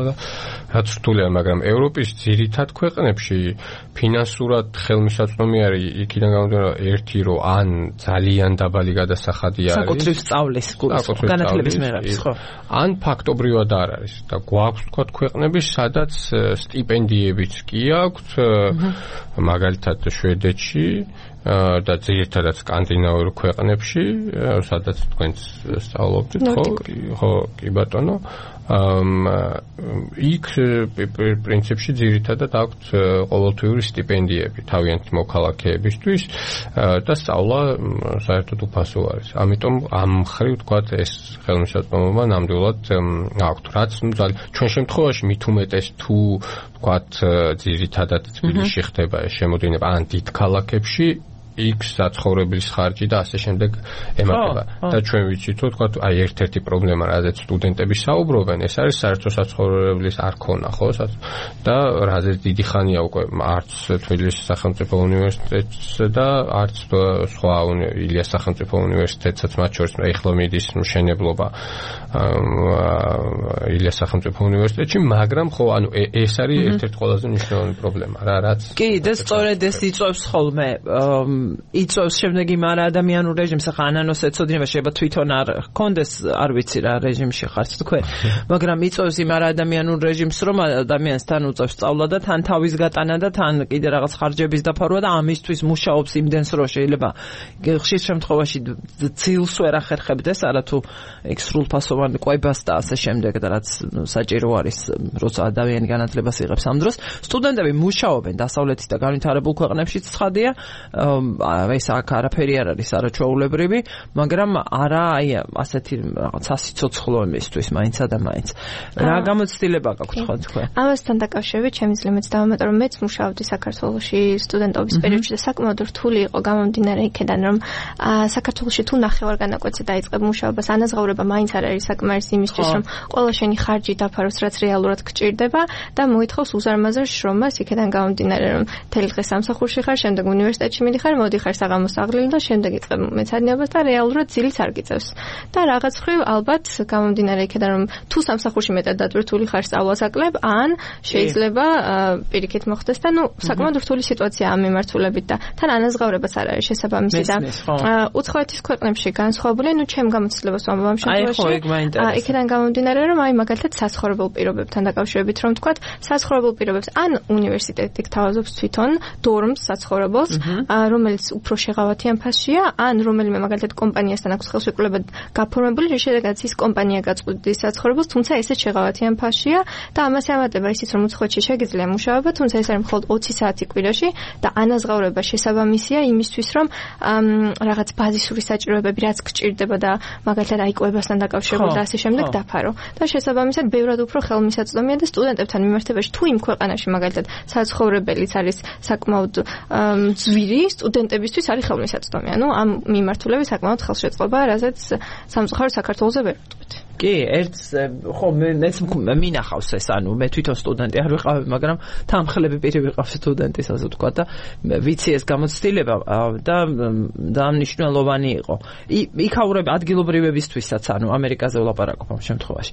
და რაც რთულია, მაგრამ ევროპის ძირითად ქვეყნებში ფინანსურად ხელმისაწვდომი არის იქიდან გამომდინარე ერთი რომ ან ძალიან დაბალი გადასახადი არის საკუთრივ სწავლის განათლების მიღების ხო ან ფაქტობრივად არ არის და გვაქვს თქვა ქვეყნები სადაც სტიპენდიებიც კი აქვთ მაგალითად შვედეთში და ძირითადად სკანდინავიურ ქვეყნებში, სადაც თქვენც სწავლობდით, ხო, კი ბატონო. იქ პრინციპში ძირითადად აქვთ ყოველთვიური სტიპენდიები თავიანთი მოქალაქეებისთვის და სწავლა საერთოდ უფასო არის. ამიტომ ამ მხრივ თქვათ ეს ხელმისაწვდომობა ნამდვილად აქვთ. რაც ჩვენ შემთხვევაში მით უმეტეს თუ თქვათ ძირითადად თბილისში ხდება ეს შემოდინება ან დიდ ქალაქებში იქ საცხოვრებლის ხარჯი და ასე შემდეგ ემატება. და ჩვენ ვიცით, რომ თქვა აი ერთ-ერთი პრობლემა, რაზეც სტუდენტები საუბრობენ, ეს არის საერთო საცხოვრებლის არ ქონა, ხო? და რაზეც დიდი ხანია უკვე არც თბილისის სახელმწიფო უნივერსიტეტს და არც სხვა ილიას სახელმწიფო უნივერსიტეტსაც მათ შორის ეხლა მიდის მშენებლობა ილიას სახელმწიფო უნივერსიტეტში, მაგრამ ხო, ანუ ეს არის ერთ-ერთი ყველაზე მნიშვნელოვანი პრობლემა, რაც კი, და სწორედ ეს იწვევს ხოლმე იწვევს შემდეგ იმ არაადამიანურ რეჟიმს, ახლა ანანოს ეცოდინება, შეიძლება თვითონ არ ჰქონდეს, არ ვიცი რა რეჟიმში ხართ თქვენ, მაგრამ იწვევს იმ არაადამიანურ რეჟიმს, რომ ადამიანს თან უწევს სწავლა და თან თავის გატანა და თან კიდე რაღაც ხარჯების დაფარვა და ამისთვის მუშაობს იმდენს, რომ შეიძლება ხშირ შემთხვევაში ძილს ვერ ახერხებდეს, არათუ ეგ სრულფასოვან კვებას და ასე შემდეგ და რაც საჭირო არის, როცა ადამიანი განათლებას იღებს ამ დროს. სტუდენტები მუშაობენ დასავლეთის და განვითარებულ ქვეყნებშიც ცხადია, ეს აქ არაფერი არ არის არაჩვეულებრივი, მაგრამ არა აი ასეთი რაღაც სასიცოცხლო იმისთვის მაინცა და მაინც. რა გამოცდილება გაქვთ ხო თქვენ? ამასთან დაკავშირებით შემიძლია მეც დავამატო, რომ მეც მუშაობდი საქართველოში სტუდენტობის პერიოდში და საკმაოდ რთული იყო გამომდინარე იქედან, რომ საქართველოში თუ ნახევარგანაკვეთზე დაიწყებ მუშაობას, ანაზღაურება მაინც არ არის საკმარისი იმისთვის, რომ ყველა შენი ხარჯი დაფაროს, რაც რეალურად გჭირდება და მოითხოვს უზარმაზარ შრომას იქედან გამომდინარე, რომ მთელი დღე სამსახურში ხარ, შემდეგ უნივერსიტეტში მიდიხარ, მოდიხარ საღამოს აღლილი და შემდეგ იწყებ მეცადინეობას და რეალურად ძილიც არ გიწევს. და რაღაც ხრივ ალბათ გამომდინარე იქედან, რომ თუ სამსახურში მეტად დატვირთული ხარ სწავლას აკლებ, ან შეიძლება პირიქით მოხდეს და საკმაოდ რთული სიტუაცია ამ მიმართულებით და თან ანაზღაურებაც არ არის შესაბამისი და უცხოეთის ქვეყნებში განსხვავებულია, ჩემ გამოცდილებას ვამბობ ამ შემთხვევაში. იქედან გამომდინარე, რომ აი მაგალითად საცხოვრებელ პირობებთან დაკავშირებით რომ თქვათ, საცხოვრებელ პირობებს ან უნივერსიტეტი გთავაზობს თვითონ დორმს საცხოვრებელს, რომელიც უფრო შეღავათიან ფასშია, ან რომელიმე მაგალითად კომპანიასთან აქვს ხელშეკრულება გაფორმებული, შედეგადაც ის კომპანია გაწყვეტს საცხოვრებელს, თუმცა ესეც შეღავათიან ფასშია და ამას ემატება ისიც, რომ უცხოეთში შეგიძლია მუშაობა, თუმცა ეს არის მხოლოდ 20 საათი კვირაში და ანაზღაურება შესაბამისია იმისთვის, რომ რაღაც ბაზისური საჭიროებები რაც გჭირდება და მაგალითად აი კვებასთან დაკავშირებული და ასე შემდეგ დაფარო. და შესაბამისად ბევრად უფრო ხელმისაწვდომია და სტუდენტებთან მიმართებაში თუ იმ ქვეყანაში მაგალითად საცხოვრებელიც არის საკმაოდ ძვირი, სტუდენტებისთვის არის ხელმისაწვდომი. ამ მიმართულებით საკმაოდ ხელშეწყობა, რაზეც სამწუხაროდ საქართველოზე ვერ ვიტყვით. კი, ხო მეც მინახავს ეს, მე თვითონ სტუდენტი არ ვიყავი, მაგრამ თანხლები პირი ვიყავ სტუდენტის, ასე ვთქვა და ვიცი ეს გამოცდილება და მნიშვნელოვანი იყო. იქაურები ადგილობრივებისთვისაც, ამერიკაზე ვლაპარაკობ ამ შემთხვევაში.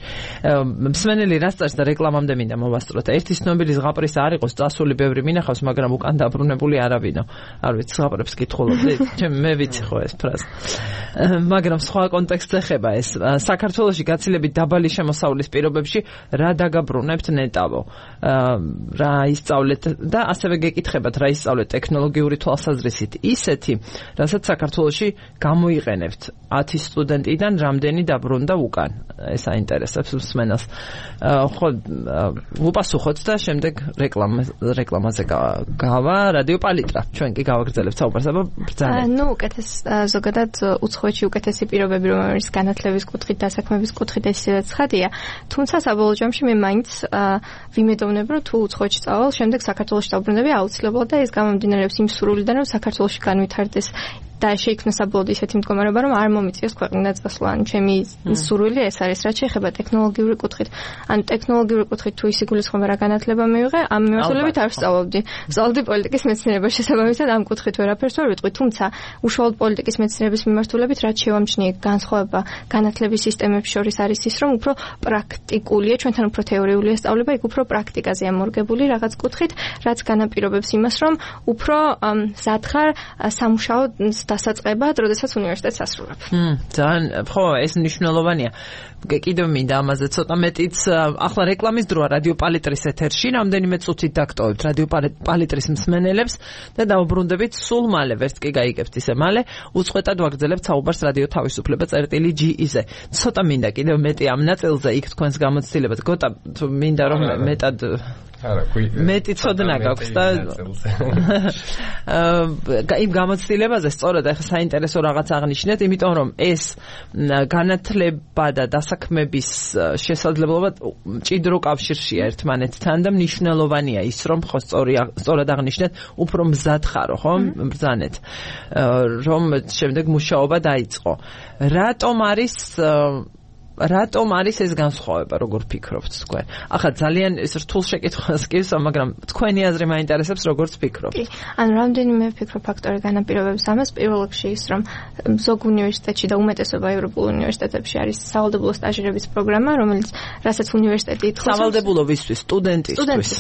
მსმენელი რას წერს და რეკლამამდე მინდა მოვასწროთ. ერთი ცნობილი ზღაპრის არ იყოს წასული, ბევრი მინახავს, მაგრამ უკან დაბრუნებული არავინო. არ ვიცი, ზღაპრებს კითხულობდი, მე ვიცი ხო ეს ფრაზა. მაგრამ სხვა კონტექსტზე ხება ეს. საქართველოში გაცილებით დაბალი შემოსავლის პირობებში რა დაგაბრუნებთ ნეტავო, რა ისწავლეთ და ასევე გეკითხებათ რა ისწავლეთ ტექნოლოგიური თვალსაზრისით ისეთი, რასაც საქართველოში გამოიყენებთ 10 სტუდენტიდან რამდენი დაბრუნდა უკან. ეს აინტერესებს მსმენელს. ხო, ვუპასუხოთ და შემდეგ რეკლამაზე გავა რადიო პალიტრა. ჩვენ კი გავაგრძელებთ საუბარს, აბა ბრძანეთ. უკეთეს ზოგადად უცხოეთში უკეთესი პირობები რომ არის განათლების კუთხით და საქმეების კუთხით ესეც ცხადია. თუმცა საბოლოო ჯამში მე მაინც ვიმედოვნებ, რომ თუ უცხოეთში წავალ, შემდეგ საქართველოში დავბრუნდები აუცილებლად და ეს გამომდინარეობს იმ სურვილიდან, რომ საქართველოში განვითარდეს და შეიქმნა საბოლოოდ ისეთი მდგომარეობა, რომ არ მომიწიოს ქვეყნიდან წასვლა. ჩემი სურვილი ეს არის, რაც შეეხება ტექნოლოგიური კუთხით. ტექნოლოგიური კუთხით თუ ის იგულისხმება რა განათლება მივიღე, ამ მიმართულებით არ ვსწავლობდი. ვსწავლობდი პოლიტიკის მეცნიერებას, შესაბამისად ამ კუთხით ვერაფერს ვერ ვიტყვი, თუმცა უშუალოდ პოლიტიკის მეცნიერების მიმართულებით რაც შევამჩნიე განსხვავება განათლების სისტემებს შორის არის ის, რომ უფრო პრაქტიკულია, ჩვენთან უფრო თეორიულია სწავლება, იქ უფრო პრაქტიკაზეა მორგებული რაღაც კუთხით, რაც განაპირობებს იმას, რომ უფრო მზად ხარ სამუშაო დასაწყებად, როდესაც უნივერსიტეტს ასრულებ. ძალიან ხო, ეს მნიშვნელოვანია. კიდევ მინდა ამაზე ცოტა მეტიც ახლა რეკლამის დროა რადიო პალიტრის ეთერში, რამდენიმე წუთით დაგტოვებთ რადიო პალიტრის მსმენელებს და დავუბრუნდებით სულ მალე, ვერც კი გაიგებთ ისე მალე, უწყვეტად ვაგრძელებთ საუბარს რადიო თავისუფლება.ge-ზე. ცოტა მინდა კიდევ მეტი ამ ნაწილზე იქ თქვენს გამოცდილებად. გოტა, მინდა რომ მეტად მეტი ცოდნა გაქვს და იმ გამოცდილებაზე სწორედ ახლა საინტერესო რაღაც აღნიშნეთ, იმიტომ რომ ეს განათლება და დასაქმების შესაძლებლობა მჭიდრო კავშირშია ერთმანეთთან და მნიშვნელოვანია ის რომ ხო სწორად აღნიშნეთ, უფრო მზად ხარო, ხო? ბრძანეთ რომ შემდეგ მუშაობა დაიწყო. რატომ არის ეს განსხვავება, როგორ ფიქრობთ თქვენ? ახლა ძალიან ეს რთულ შეკითხვას გისვა, მაგრამ თქვენი აზრი მაინტერესებს, როგორც ფიქრობთ. კი, ანუ რამდენიმე ფიქრობ ფაქტორი განაპირობებს ამას. პირველ რიგში ის, რომ ზოგ უნივერსიტეტში და უმეტესობა ევროპულ უნივერსიტეტებში არის სავალდებულო სტაჟირების პროგრამა, რომელიც რასაც უნივერსიტეტი ითხოვს. სავალდებულო ვისთვის, სტუდენტისთვის,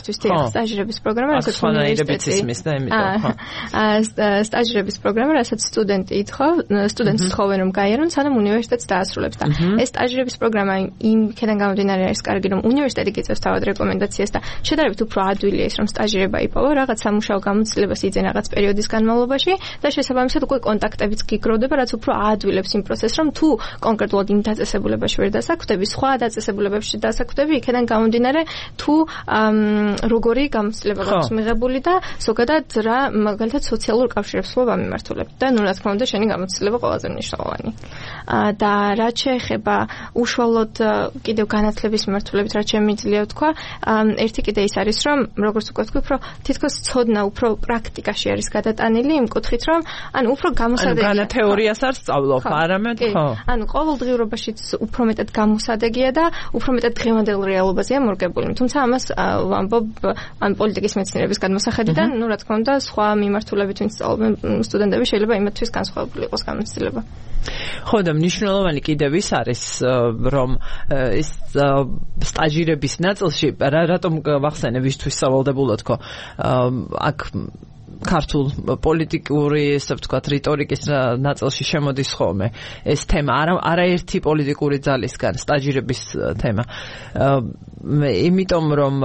სტაჟირების პროგრამა, რასაც უნივერსიტეტი იცის და იმიტომ, სტაჟირების პროგრამა, რასაც სტუდენტს თხოვენ რომ გაიარონ, სანამ უნივერსიტეტს დაასრულებს და ეს სტაჟირების პროგრამა იმქიდან გამომდინარე არის კარგი, რომ უნივერსიტეტი გიწევს თავად რეკომენდაციას და შედარებით უფრო ადვილია ის, რომ სტაჟირება იპოვა, რაღაც სამუშაო გამოცდილებას იძენ რაღაც პერიოდის განმავლობაში და შესაბამისად უკვე კონტაქტებიც გიგროვდება, რაც უფრო აადვილებს იმ პროცესს, რომ თუ კონკრეტულად იმ დაწესებულებაში ვერ დასაქმდები, სხვა დაწესებულებებში დასაქმდები, იქიდან გამომდინარე თუ როგორი გამოცდილება გაქვს მიღებული და ზოგადად რა მაგალითად სოციალურ კავშირებს ვთქვი ამიმართულებ და ნუ რა თქმა უნდა შენი გამოცდილება ყველაზე მნიშვნელოვანი. და რაც შეეხება უშუალოდ კიდევ განათლების მიმართულებით რაც შემიძლია ვთქვა, ერთი კიდე ის არის, რომ როგორც უკვე ვთქვი, უფრო თითქოს ცოდნა უფრო პრაქტიკაში არის გადატანილი იმ კუთხით, რომ ანუ უფრო გამოსადეგია. ანუ თეორიას არ სწავლობ, არამედ ხო. ანუ ყოველდღიურობაშიც უფრო მეტად გამოსადეგია და უფრო მეტად დღევანდელ რეალობაზეა მორგებული. თუმცა ამას ვამბობ ან პოლიტიკის მეცნიერების გადმოსახედიდან, ნუ რა თქმა უნდა, სხვა მიმართულებით ვინც სწავლობენ სტუდენტები შეიძლება იმათთვის განსხვავებული იყოს გამოცდილება. ხო და მნიშვნელოვანი კიდევ ის არის, რომ ეს სტაჟირების ნაწილში რატომ ვახსენე ვისთვის სავალდებულოდ ხო აქ ქართულ პოლიტიკური, ესე ვთქვათ, რიტორიკის ნაწილში შემოდის ხოლმე ეს თემა, არაერთი პოლიტიკური ძალისგან სტაჟირების თემა. იმიტომ რომ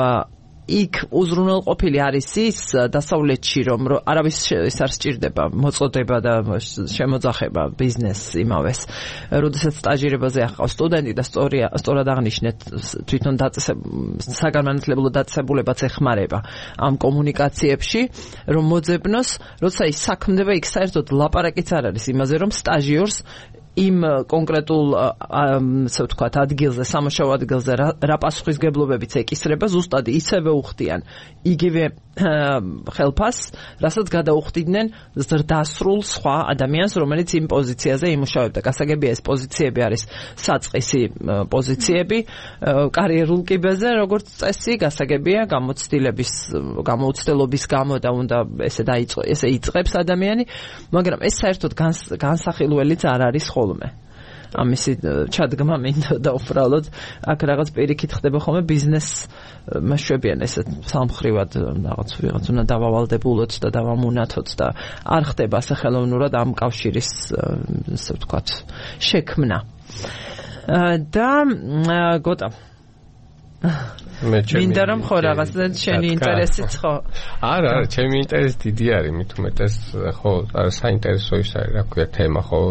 იქ უზრუნველყოფილი არის ის დასავლეთში, რომ არავის ეს არ სჭირდება მოწოდება და შემოძახება ბიზნეს იმავეს. როდესაც სტაჟირებაზე ახავს სტუდენტი და სწორად აღნიშნეთ, თვითონ საგანმანათლებლო დაწესებულებაც ეხმარება ამ კომუნიკაციებში, რომ მოძებნოს, როცა ის საქმდება, იქ საერთოდ ლაპარაკიც არ არის იმაზე, რომ სტაჟიორს იმ კონკრეტულ ასე ვთქვათ ადგილზე, სამუშაო ადგილზე რა პასუხისგებლობებიც ეკისრება, ზუსტად ისევე უხდიან იგივე ხელფასს, რასაც გადაუხდიდნენ ზრდასრულ სხვა ადამიანს, რომელიც იმ პოზიციაზე იმუშავებდა. გასაგებია ეს პოზიციები არის საწყისი პოზიციები კარიერულ კიბეზე, როგორც წესი, გასაგებია გამოცდილების გამო და უნდა ესე იწყებს ადამიანი, მაგრამ ეს საერთოდ განსახილველიც არ არის ხოლმე. ამისი ჩადგმა მინდა და უბრალოდ აქ რაღაც პირიქით ხდება ხოლმე ბიზნეს მაშვებიან ესე სამხრივად რაღაც უნდა დავავალდებულოთ და დავამუნათოთ და არ ხდება ასე ხელოვნურად ამ კავშირის ასე ვთქვათ შექმნა. და გოტა მინდა რომ ხო რაღაცა შენი ინტერესიც ხო? არა, ჩემი ინტერესი დიდი არის, მით უმეტეს ხო, საინტერესო ის არის, რა ქვია, თემა ხო,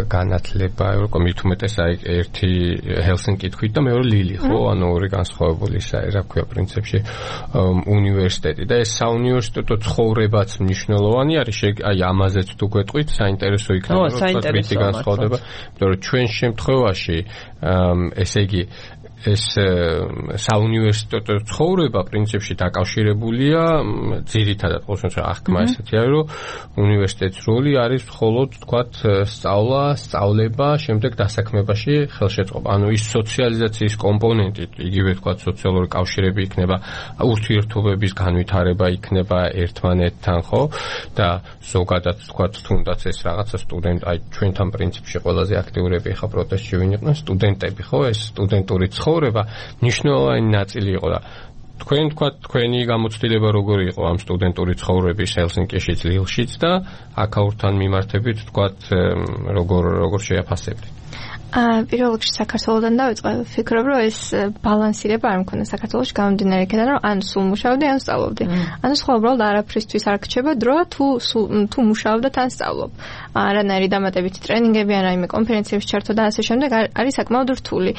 განათლება, მით უმეტეს აი ერთი ჰელსინკითხვით და მეორე ლილი, ხო, ანუ ორი განსხვავებული ის არის, რა ქვია, პრინციპში უნივერსიტეტი და ეს საუნივერსიტეტო ცხოვრებაც მნიშვნელოვანი არის, აი ამაზეც თუ გვეტყვით, საინტერესო იქნება, რომ თვითი განსხვავდება, იმიტომ რომ ჩვენ შემთხვევაში ესე იგი ეს საუნივერსიტეტო ცხოვრება პრინციპში დაკავშირებულია ძირითადად ყოველთვის აღქმა ესეთი არის, რომ უნივერსიტეტის როლი არის მხოლოდ თქვათ სწავლა, სწავლება, შემდეგ დასაქმებაში ხელშეწყობა. ანუ ის სოციალიზაციის კომპონენტი, იგივე თქვათ სოციალური კავშირები იქნება, ურთიერთობების განვითარება იქნება ერთმანეთთან, ხო? და ზოგადად თქვათ თუნდაც ეს რაღაცა სტუდენტ, აი ჩვენთან პრინციპში ყველაზე აქტიურები ხა პროტესტში ვინ იყვნენ სტუდენტები, ხო? ეს სტუდენტური ცხოვრება მნიშვნელოვანი ნაწილი იყო და თქვენ თქვა თქვენი გამოცდილება როგორი იყო ამ სტუდენტური ცხოვრების ჰელსინკიშიც, ლილშიც და აქაურთან მიმართებით თქვა როგორ შეაფასებთ? პირველ რიგში საქართველოსთან დავიწყე, ვფიქრობ, რომ ეს ბალანსირება არ მქონდა საქართველოში გამომდინარე იქიდან, რომ ან სულ მუშაობდი, ან სწავლობდი. ანუ სხვა უბრალოდ არაფრისთვის არ გრჩება დრო, თუ მუშაობ და თან სწავლობ. არანაირი დამატებითი ტრენინგები, ან რაიმე კონფერენციებში ჩართვა და ასე შემდეგ არის საკმაოდ რთული.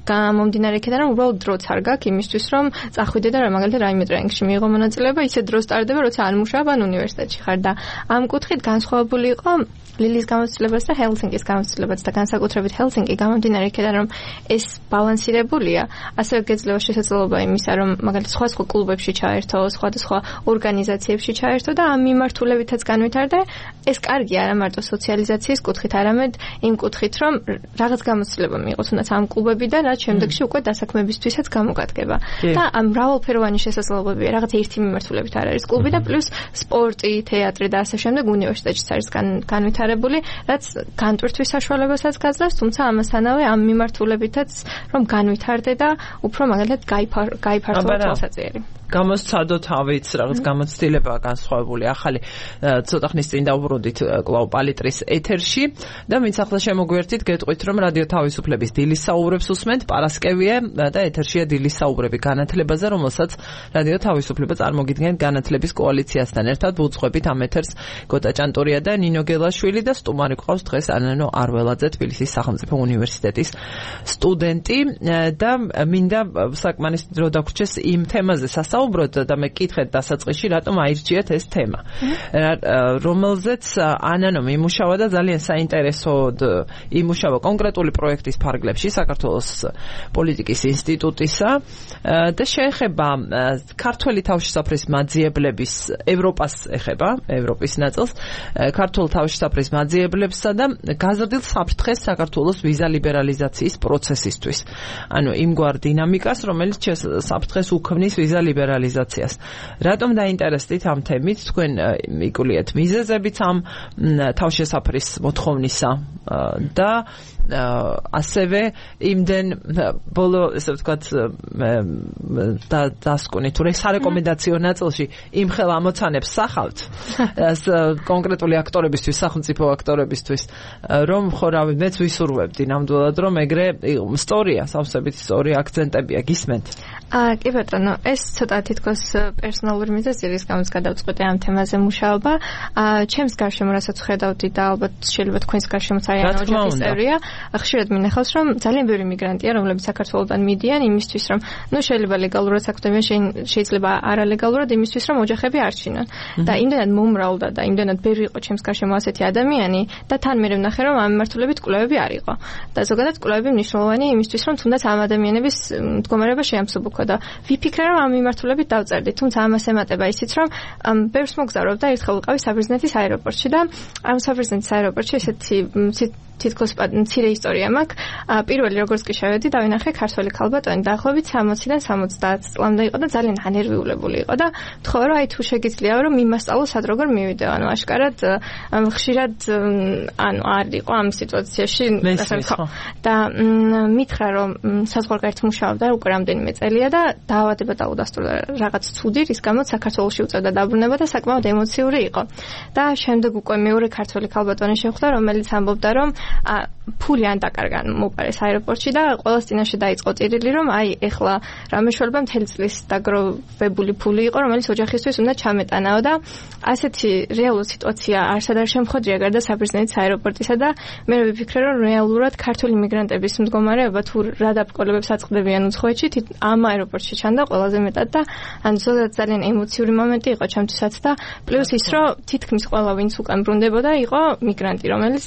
გამომდინარე იქიდან, რომ უბრალოდ დროც არ გაქვს იმისთვის, რომ წახვიდე და მაგალითად რაიმე ტრენინგში მიიღო მონაწილეობა, ისე დრო სტარდება, როცა არ მუშაობ, ან უნივერსიტეტში ხარ და ამ კუთხით განსხვავებული იყო ლილის გამოცდილებაც და ჰელსინკის გამოცდილებაც და განსაკუთრებით ჰელსინკი გამომდინარე იქიდან, რომ ეს ბალანსირებულია, ასევე გეძლევა შესაძლებლობა იმისა, რომ მაგალითად სხვა კლუბებში ჩაერთო, სხვადასხვა ორგანიზაციებში ჩაერთო და ამ მიმართულებითაც განვითარდე. ეს კარგია არა მარტო სოციალიზაციის კუთხით, არამედ იმ კუთხით, რომ რაღაც გამოცდილება მიიღო თუნდაც ამ კლუბებიდან, რაც შემდეგში უკვე დასაქმებისთვისაც გამოგადგება. და ამ მრავალფეროვანი შესაძლებლობებია, რაღაც ერთი მიმართულებით არ არის კლუბი და პლუს სპორტი, თეატრი და ასე შემდეგ უნივერსიტეტშიც არის განვითარებული, რაც განტვირთვის საშუალებასაც გაძლევს, თუმცა ამასთანავე ამ მიმართულებითაც რომ განვითარდე და უფრო მაგალითად გაიფართოვა თვალსაჩინო. გამოსცადო თავიც რაღაც გამოცდილებაა განსხვავებული ახალი ცოტა ხნის წინ დავბრუნდით კვლავ პალიტრის ეთერში და ვინც ახლა შემოგვერთით გეტყვით რომ რადიო თავისუფლების დილის საუბრებს უსმენთ პარასკევია და ეთერშია დილის საუბრები განათლებაზე რომელსაც რადიო თავისუფლება წარმოგიდგენთ განათლების კოალიციასთან ერთად ვუძღვებით ამ ეთერს გოტა ჭანტურია და ნინო გელაშვილი და სტუმარი გვყავს დღეს ანანო არველაძე თბილისის სახელმწიფო უნივერსიტეტის სტუდენტი და მინდა საკმარის დრო დაგვრჩეს იმ თემაზე საუბრობთ და მე კითხეთ დასაწყისში რატომ აირჩიეთ ეს თემა რომელზეც ანანო იმუშავა და ძალიან საინტერესოდ იმუშავა კონკრეტული პროექტის ფარგლებში საქართველოს პოლიტიკის ინსტიტუტისა და შეეხება ქართველი თავშესაფრის მაძიებლების ევროპას ეხება ევროპის ნაწილს ქართულ თავშესაფრის მაძიებლებსა და გაზრდილ საფრთხეს საქართველოს ვიზა ლიბერალიზაციის პროცესისთვის ანუ იმგვარ დინამიკას რომელიც საფრთხეს უქმნის ვიზა ლიბერალიზაციას. რატომ დაინტერესდით ამ თემით? თქვენ მიკულიეთ მიზეზებიც ამ თავშესაფრის მოთხოვნისა და ასევე იმდენ ბოლო ესე ვთქვათ დასკვნით თუ სარეკომენდაციო ნაწილში იმ ხელ ამოცანებს სახავთ კონკრეტული აქტორებისთვის, სახელმწიფო აქტორებისთვის, რომ ხო რავი მეც ვისურვებდი ნამდვილად რომ ეგრე ისტორია, სავსებით ისტორია აქცენტებია გისმენთ. კი ბატონო, ეს ცოტა თითქოს პერსონალური მიზეზია, რის გამოც გადავწყვეტე ამ თემაზე მუშაობა. ჩემს გარშემო რასაც ხედავდი და ალბათ შეიძლება თქვენს გარშემოც არიან ოჯახის წევრია, ხშირად მინახავს, რომ ძალიან ბევრი მიგრანტია, რომლებიც საქართველოდან მიდიან იმისთვის, რომ შეიძლება ლეგალურად საქმეებიან, შეიძლება არალეგალურად იმისთვის, რომ ოჯახები არჩინონ. და იმდენად მომრავლდა და იმდენად ბევრი იყო ჩემს გარშემო ასეთი ადამიანი და თან მე ვნახე, რომ ამ მიმართულებით კვლევები არ იყო. და ზოგადად კვლევები მნიშვნელოვანია იმისთვის, რომ თუნდაც ამ ადამიანების მდგომარეობა შეამსუბუქო და ვიფიქრე, რომ ამ მიმართულებით დავწერდი, თუმცა ამას ემატება ისიც, რომ ბევრს მოგზაურობ და ერთხელ ვიყავი საბერძნეთის აეროპორტში და ამ საბერძნეთის აეროპორტში ესეთი თითქოს მცირე ისტორია მაქვს. პირველი როგორც კი შევედი, დავინახე ქართველი ქალბატონი დაახლოებით 60-დან 70 წლამდე იყო და ძალიან ანერვიულებული იყო და თხოვა რომ აი თუ შეგიძლია რომ მიმასწავლო სად როგორ მივიდეო. ანუ აშკარად ხშირად ანუ არ იყო ამ სიტუაციაში და მითხრა რომ საზღვარგარეთ მუშაობდა უკვე რამდენიმე წელია და დაავადება დაუდასტურდა რაღაც ცუდი, რის გამოც საქართველოში უწევდა დაბრუნება და საკმაოდ ემოციური იყო. და შემდეგ უკვე მეორე ქართველი ქალბატონი შეხვდა, რომელიც ამბობდა რომ ფული ან დაკარგა მოპარეს აეროპორტში და ყველას წინაშე დაიწყო ტირილი, რომ აი ეხლა რა მეშველება მთელი წლის დაგროვებული ფული იყო, რომელიც ოჯახისთვის უნდა ჩამეტანაო და ასეთი რეალური სიტუაცია არსად არ შემხოდრია გარდა საბერძნეთის აეროპორტისა და მე ვიფიქრე, რომ რეალურად ქართული მიგრანტების მდგომარეობა თუ რა დაბრკოლებებს აწყდებიან უცხოეთში, ამ აეროპორტში ჩანდა ყველაზე მეტად და ან ზოგადად ძალიან ემოციური მომენტი იყო ჩემთვისაც და პლუს ის, რომ თითქმის ყველა ვინც უკან ბრუნდებოდა იყო მიგრანტი, რომელიც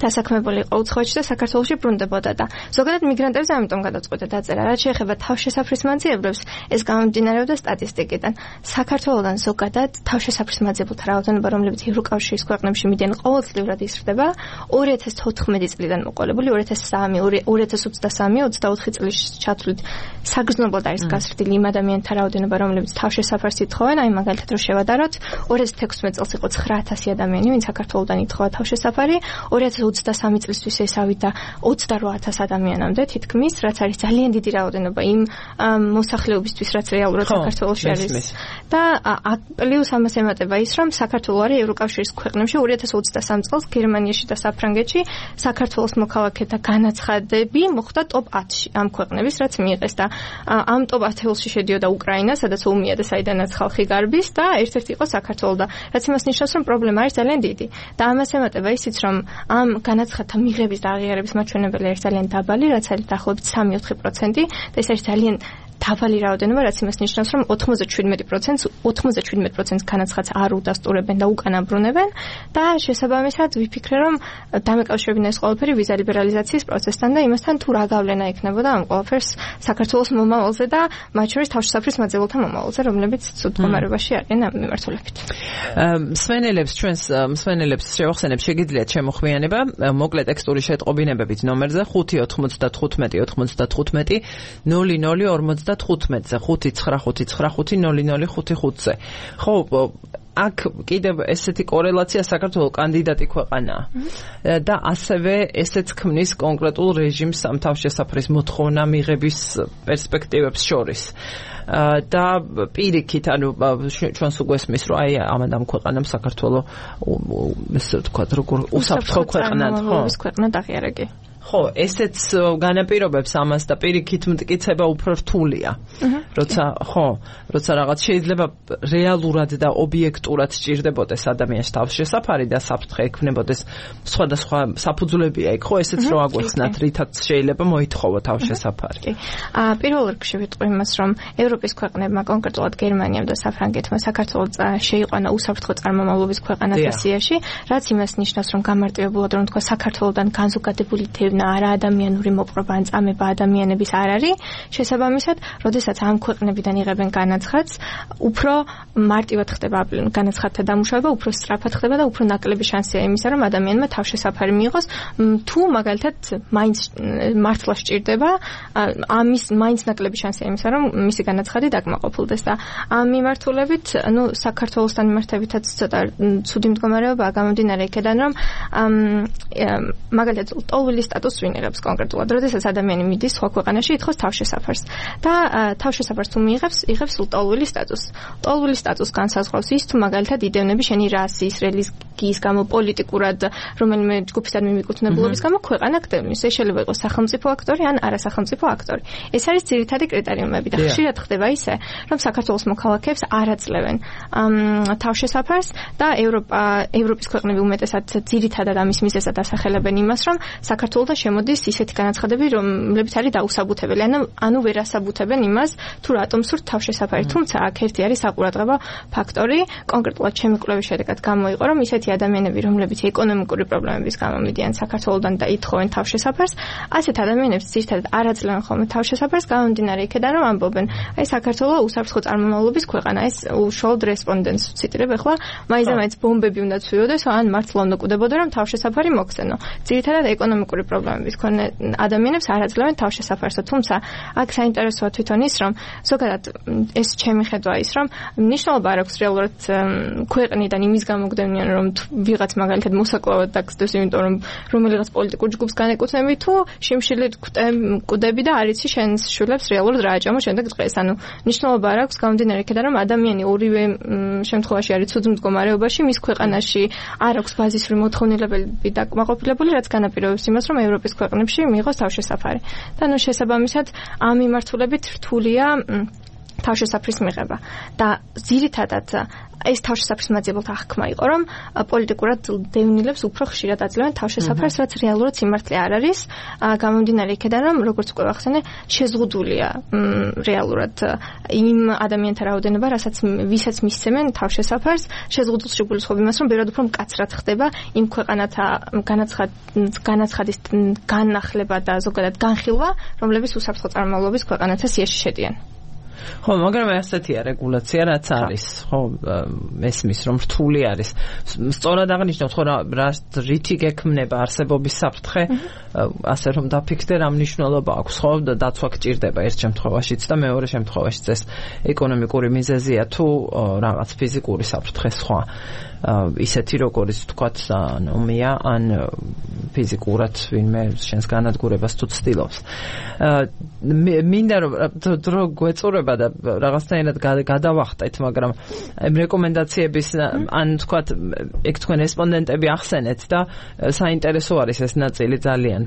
დასაქმებული იყო უცხოეთში და საქართველოში ბრუნდებოდა და ზოგადად მიგრანტებზე ამიტომ გადაწყვეტა დაწერა. რაც შეეხება თავშესაფრის მაძიებლებს, ეს გამომდინარეობდა სტატისტიკიდან. საქართველოდან ზოგადად თავშესაფრის მაძიებელთა რაოდენობა, რომლებიც ევროკავშირის ქვეყნებში მიდიან, ყოველწლიურად იზრდება. 2014 წლიდან მოყოლებული 2023-24 წლის ჩათვლით საგრძნობლად არის გაზრდილი იმ ადამიანთა რაოდენობა, რომლებიც თავშესაფარს ითხოვენ. აი მაგალითად რომ შევადაროთ, 2016 წელს იყო 9000 ადამიანი, ვინც საქართველოდან ითხოვა თავშესაფარი, 2019 2023 წლისთვის ესავით და 28000 ადამიანამდე თითქმის, რაც არის ძალიან დიდი რაოდენობა იმ მოსახლეობისთვის, რაც რეალურად საქართველოში არის. და პლუს ამას ემატება ის, რომ საქართველო არის ევროკავშირის ქვეყნებში 2023 წელს გერმანიაში და საფრანგეთში საქართველოს მოქალაქეთა განაცხადები მოხდა ტოპ 10-ში ამ ქვეყნების, რაც მიიღეს და ამ ტოპ 10-ში შედიოდა უკრაინა, სადაც ომია და საიდანაც ხალხი გარბის და ერთ-ერთი იყო საქართველო და რაც იმას ნიშნავს, რომ პრობლემა არის ძალიან დიდი. და ამას ემატება ისიც, რომ ამ განაცხადთა მიღების და აღიარების მაჩვენებელი არის ძალიან დაბალი, რაც არის დაახლოებით 3-4% და ეს არის ძალიან დაბალი რაოდენობა, რაც იმას ნიშნავს, რომ 97% განაცხადს არ უდასტურებენ და უკან აბრუნებენ და შესაბამისად ვიფიქრე, რომ დამეკავშირებინა ეს ყველაფერი ვიზა ლიბერალიზაციის პროცესთან და იმასთან თუ რა გავლენა ექნებოდა ამ ყველაფერს საქართველოს მომავალზე და მათ შორის თავშესაფრის მაძიებელთა მომავალზე, რომლებიც ცუდ მდგომარეობაში არიან ამ მიმართულებით. მსმენელებს შევახსენებ, შეგიძლიათ შემოხვიანება მოკლე ტექსტური შეტყობინებებით ნომერზე 595 00 15-ზე 5955005-ზე. ხო, აქ კიდევ ესეთი კორელაცია საქართველოს კანდიდატი ქვეყანაა. და ასევე ესეც ქმნის კონკრეტულ რეჟიმს ამ თავშესაფრის მოთხოვნა მიღების პერსპექტივებს შორის. და პირიქით, ანუ ჩვენს უგვესმის, რომ აი ამ ქვეყანამ საქართველოს ესე ვთქვათ, როგორ უსაფრთხო ქვეყნად, ხო? ქვეყნად აღიარებგი. ხო, ესეც განაპირობებს ამას და პირიქით მტკიცება უფრო რთულია. როცა რაღაც შეიძლება რეალურად და ობიექტურად სჭირდებოდეს ადამიანს თავშესაფარი და საფრთხე ექნებოდეს სხვადასხვა საფუძვლებია იქ, ხო, ესეც რო აგვეხსნათ, რითაც შეიძლება მოითხოვო თავშესაფარი. პირველ რიგში ვიტყვი იმას, რომ ევროპის ქვეყნებმა, კონკრეტულად გერმანიამ და საფრანგეთმა საქართველოს შეიყვანა უსაფრთხო წარმომავლობის ქვეყანად ასიაში, რაც იმას ნიშნავს, რომ გამარტივებულად რომ თქვა საქართველოსთან განზოგადებული არა ადამიანური მოპყრობა ან წამება ადამიანების არ არის. შესაბამისად, როდესაც ამ ქვეყნებიდან იღებენ განაცხადს, უფრო მარტივად ხდება განაცხადთა დამუშავება, უფრო სწრაფად ხდება და უფრო ნაკლები შანსია იმისა, რომ ადამიანმა თავშესაფარი მიიღოს, თუ მაგალითად მაინც მართლა სჭირდება, ამის მაინც ნაკლები შანსია იმისა, რომ მისი განაცხადი დაკმაყოფილდეს და ამ მიმართულებით, საქართველოსთან მიმართებითაც ცოტა ცუდი მდგომარეობაა გამომდინარე იქედან, რომ მაგალითად ტოლვილის სტატუსს ვინ იღებს კონკრეტულად, როდესაც ადამიანი მიდის სხვა ქვეყანაში ითხოვს თავშესაფარს და თავშესაფარს თუ მიიღებს, იღებს ტოლვილის სტატუსს. ტოლვილის სტატუსს განსაზღვრავს ის, თუ მაგალითად იდევნები შენი რასის, რელიგიის გამო, პოლიტიკურად, რომელიმე ჯგუფისთან მიმიკუთვნებულობის გამო ქვეყანა გდევნის. ეს შეიძლება იყოს სახელმწიფო აქტორი ან არასახელმწიფო აქტორი. ეს არის ძირითადი კრიტერიუმები და ხშირად ხდება ისე, რომ საქართველოს მოქალაქეებს არ აძლევენ თავშესაფარს და ევროპის ქვეყნები უმეტესად ძირითადად ამის მიზეზად ასახელებენ იმას, რომ საქართველოს შემოდის ისეთი განაცხადები, რომლებიც არის დაუსაბუთებელი, ანუ ვერ ასაბუთებენ იმას, თუ რატომ სურთ თავშესაფარი. თუმცა აქ ერთი არის საყურადღებო ფაქტორი, კონკრეტულად ჩემი კვლევის შედეგად გამოიყო, რომ ისეთი ადამიანები, რომლებიც ეკონომიკური პრობლემების გამო მიდიან საქართველოსთან და ითხოვენ თავშესაფარს, ასეთ ადამიანებს ძირითადად არ აძლევენ ხოლმე თავშესაფარს, გამომდინარე იქედან, რომ ამბობენ, აი საქართველოს უსაფრთხო წარმომავლობის ქვეყანა, ეს უშუალოდ რესპონდენტს ვციტირებ ახლა, მაინც ბომბები უნდა ცვიოდეს, ან მართლა უნდა კვდებოდე, რომ თავშესაფარი მოგცენო. ძირითადად ეკონომიკური პრობლემების მქონე ადამიანებს არ აძლევენ თავშესაფარს, თუმცა აქ საინტერესოა თვითონ ის, რომ ზოგადად ეს ჩემი ხედვა ის, რომ მნიშვნელობა არ აქვს რეალურად ქვეყნიდან იმის გამოგდევნიან, რომ ვიღაც მაგალითად მოსაკლავად დაგსდევს, იმიტომ რომ რომელიღაც პოლიტიკურ ჯგუფს განეკუთვნები, თუ შიმშილით კვდები და არ იცი შენს შვილებს რეალურად რა აჭამო შემდეგ დღეს. ანუ მნიშვნელობა არ აქვს გამომდინარე იქედან, რომ ადამიანი ორივე შემთხვევაში არის ცუდ მდგომარეობაში, მის ქვეყანაში არ აქვს ბაზისური მოთხოვნილებები დაკმაყოფილებული, რაც განაპირობებს იმას, რომ ევროპის ქვეყნებში მიიღოს თავშესაფარი. და ნუ შესაბამისად ამ მიმართულებით რთულია თავშესაფრის მიღება. და ძირითადად ეს თავშესაფრის მაძიებელთა აღქმა იყო, რომ პოლიტიკურად დევნილებს უფრო ხშირად აძლევენ თავშესაფარს, რაც რეალურად სიმართლე არ არის. გამომდინარე იქედან, რომ როგორც უკვე ვახსენე, შეზღუდულია რეალურად იმ ადამიანთა რაოდენობა, ვისაც მისცემენ თავშესაფარს, შეზღუდულს შეგულისხმობ იმას, რომ ბევრად უფრო მკაცრად ხდება იმ ქვეყანათა განაცხადის განახლება და ზოგადად განხილვა, რომლებიც უსაფრთხო წარმომავლობის ქვეყანათა სიაში შედიან. ხო, მაგრამ ასეთია რეგულაცია, რაც არის, ხო, მესმის რომ რთული არის. სწორად აღნიშნავთ, ხო, რითი გექმნება არსებობის საფრთხე, ასე რომ დაფიქრდე, რა მნიშვნელობა აქვს, ხო, დაცვა გჭირდება ერთ შემთხვევაშიც და მეორე შემთხვევაშიც ეს ეკონომიკური მიზეზია თუ რაღაც ფიზიკური საფრთხე სხვა. ისეთი როგორც თქვათ ნომია ან ფიზიკურად ვინმე შენს განადგურებას თუ ცდილობს. მინდა რომ დრო გვეწურება და რაღაცნაირად გადავახტეთ, მაგრამ ამ რეკომენდაციების ან თქვათ ეგ თქვენ რესპონდენტები ახსენეთ და საინტერესო არის ეს ნაწილი ძალიან.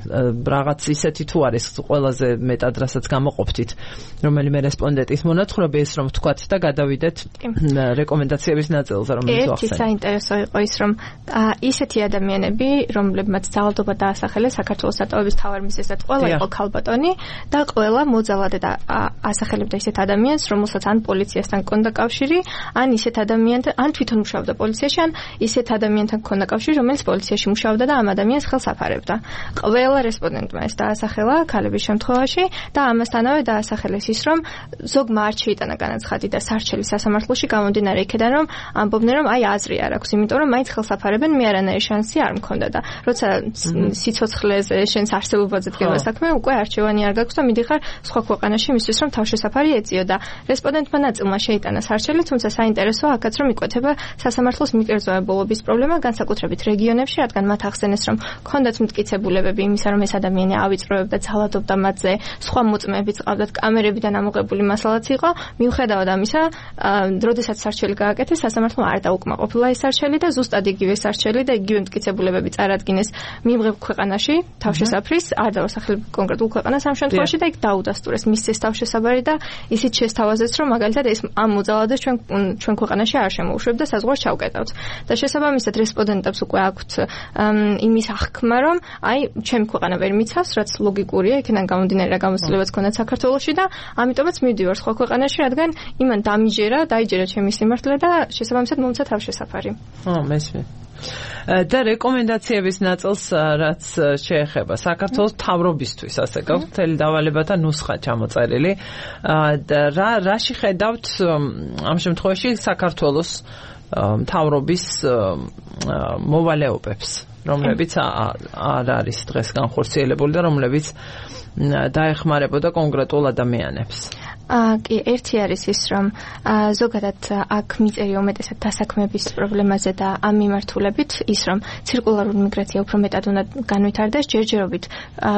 რაღაც ისეთი თუ არის ყველაზე მეტად რასაც გამოყოფთით, რომელიმე რესპონდენტის მონაცხრობი ის რომ თქვათ და გადავიდეთ რეკომენდაციების ნაწილზე, რომელიც ახსენეთ. ერთი საინტერესო იყო ის რომ ისეთი ადამიანები, რომლებმაც ძალადობა დაასახელეს საქართველოს დატოვების მთავარ მიზეზად, ყველა იყო ქალბატონი და ყველა მოძალადე და ასახელებდა ისეთ ადამიანს, რომელსაც ან პოლიციასთან ჰქონდა კავშირი, ან ისეთ ადამიანთან, ან თვითონ მუშაობდა პოლიციაში, ან ისეთ ადამიანთან ჰქონდა კავშირი, რომელიც პოლიციაში მუშაობდა და ამ ადამიანს ხელს აფარებდა. ყველა რესპონდენტმა ეს დაასახელა ქალების შემთხვევაში და ამასთანავე დაასახელეს ის, რომ ზოგმა არ შეიტანა განაცხადი და სარჩელი სასამართლოში გამომდინარე იქედან, რომ ამბობდნენ, რომ აი აზრი არ აქვს, იმიტომ რომ მაინც ხელს აფარებენ, მე არანაირი შანსი არ მქონდა და როცა სიცოცხლეზე შენს არსებობაზე დგება საქმე, უკვე არჩევანი არ გაქვს და მიდიხარ სხვა ქვეყანაში იმისთვის, რომ თავშესაფარი ეწიო და რესპონდენტმა ნაწილმა შეიტანა სარჩელი, თუმცა საინტერესოა აქაც რომ იკვეთება სასამართლოს მიკერძოებულობის პრობლემა, განსაკუთრებით რეგიონებში, რადგან მათ ახსენეს, რომ ქონდათ მტკიცებულებები იმისა, რომ ეს ადამიანი ავიწროებდა, ძალადობდა მათზე, სხვა მოწმეებიც ყავდათ, კამერებიდან ამოღებული მასალაც იყო. მიუხედავად ამისა, როდესაც სარჩელი გააკეთეს, სასამართლომ არ დაუკმაყოფილა ეს სარჩელი და ზუსტად იგივე სარჩელი და იგივე მტკიცებულებები წარადგინეს მიმღებ ქვეყანაში თავშესაფრის, არ დავასახელებ კონკრეტულ ქვეყანას ამ შემთხვევაში და იქ დაუდასტურეს მისცეს თავშესაფარი და ისიც შესთავაზეს, რომ მაგალითად ეს ამ მოძალადეს ჩვენ ქვეყანაში არ შემოუშვებ და საზღვარს ჩავკეტავთ. და შესაბამისად რესპონდენტებს უკვე აქვთ იმის აღქმა, რომ აი ჩემი ქვეყანა ვერ მიცავს, რაც ლოგიკურია, იქიდან გამომდინარე რა გამოცდილებაც ქონდათ საქართველოში და ამიტომაც მივდივარ სხვა ქვეყანაში, რადგან იმან დაიჯერა ჩემი სიმართლე და შესაბამისად მომცა თავშესაფარი. მესმის. და რეკომენდაციების ნაწილს რაც შეეხება საქართველოს მთავრობისთვის, ასე გაქვს მთელი დავალებათა ნუსხა ჩამოწერილი და რაში ხედავთ ამ შემთხვევაში საქართველოს მთავრობის მოვალეობებს, რომლებიც არ არის დღეს განხორციელებული და რომლებიც დაეხმარებოდა კონკრეტულ ადამიანებს. კი, ერთი არის ის, რომ ზოგადად აქ მიწერი უმეტესად დასაქმების პრობლემაზე და ამ მიმართულებით ის, რომ ცირკულარული მიგრაცია უფრო მეტად უნდა განვითარდეს, ჯერჯერობით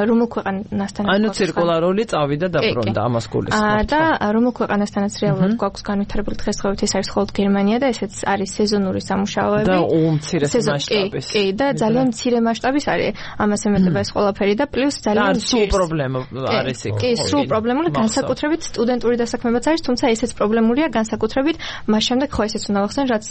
რომელ ქვეყანასთან ანუ ცირკულარული წავიდა და ბრუნდა ამას გულისხმობთ. და რომელ ქვეყანასთანაც რეალურად გვაქვს განვითარებული დღესდღეობით ეს არის მხოლოდ გერმანია და ესეც არის სეზონური სამუშაოები და უმცირე მასშტაბის. კი, და ძალიან მცირე მასშტაბის არის ამას ემატება ეს ყველაფერი და პლუს ძალიან სულ პრობლემა არის იქ. კი, სულ პრობლემული განსაკუთრებით სტუდენტური დასაქმებაც არის, თუმცა ესეც პრობლემურია განსაკუთრებით მას შემდეგ ხო ესეც უნდა ვახსენო, რაც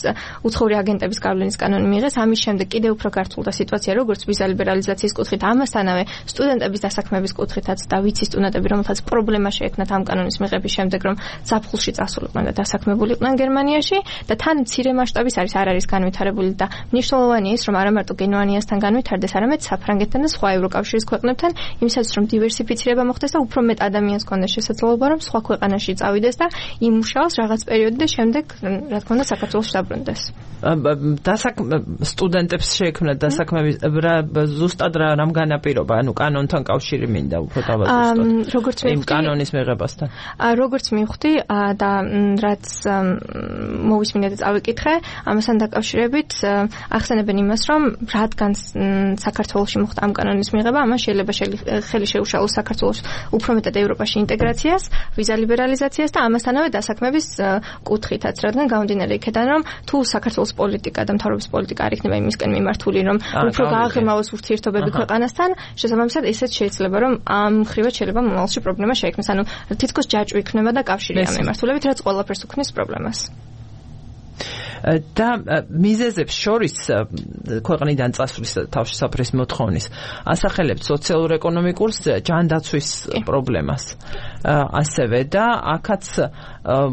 უცხოური აგენტების გავლენის კანონი მიიღეს, ამის შემდეგ კიდევ უფრო გართულდა სიტუაცია როგორც ვიზა ლიბერალიზაციის კუთხით, ამასთანავე სტუდენტების დასაქმების კუთხითაც და ვიცი სტუდენტები, რომელთაც პრობლემა შეექმნათ ამ კანონის მიღების შემდეგ, რომ ზაფხულში წასულიყვნენ და დასაქმებულიყვნენ გერმანიაში და თან მცირე მასშტაბის არ არის განვითარებული და მნიშვნელოვანია ის, რომ არა მარტო გერმანიასთან განვითარდეს, არამედ საფრანგეთთან და სხვა ევროკავშირის ქვეყნებთან, იმისათვის რომ დივერსიფიცირება მოხდეს და უფრო მეტ ადამიანს კონდეს შესაძლებლობა, რომ სხვა ქვეყანაში წავიდეს და იმუშაოს რაღაც პერიოდი და შემდეგ რა თქმა უნდა საქართველოს დაბრუნდეს. სტუდენტებს შეექმნათ დასაქმების ზუსტად რამ განაპირობა, ანუ კანონთან კავშირი მინდა უფრო დავაზუსტოთ. როგორც მე იმ კანონის მიღებასთან. როგორც მივხვდი და რაც მოვისმინე და წავიკითხე, ამასთან დაკავშირებით ახსენებენ იმას, რომ რადგან საქართველოში მოხდა ამ კანონის მიღება, ამან შეიძლება ხელი შეუშალოს საქართველოს უფრო მეტად ევროპაში ინტეგრაციას, ვიზა ლიბერალიზაციას და ამასთანავე დასაქმების კუთხითაც, რადგან გამომდინარე იქედან, რომ თუ საქართველოს პოლიტიკა და მთავრობის პოლიტიკა არ იქნება იმისკენ მიმართული, რომ უფრო გააღრმავოს ურთიერთობები ქვეყანასთან, შესაბამისად ესეც შეიძლება, რომ ამ მხრივაც შეიძლება მომავალში პრობლემა შეექმნას, ანუ თითქოს ჯაჭვი იქნება და კავშირი ამ მიმართულებით, რაც ყველაფერს უქმნის პრობლემას. და მიზეზებს შორის ქვეყნიდან წასვლის თავშესაფრის მოთხოვნის ასახელებთ სოციალურ-ეკონომიკურს ჯანდაცვის პრობლემას. ასევე და აქაც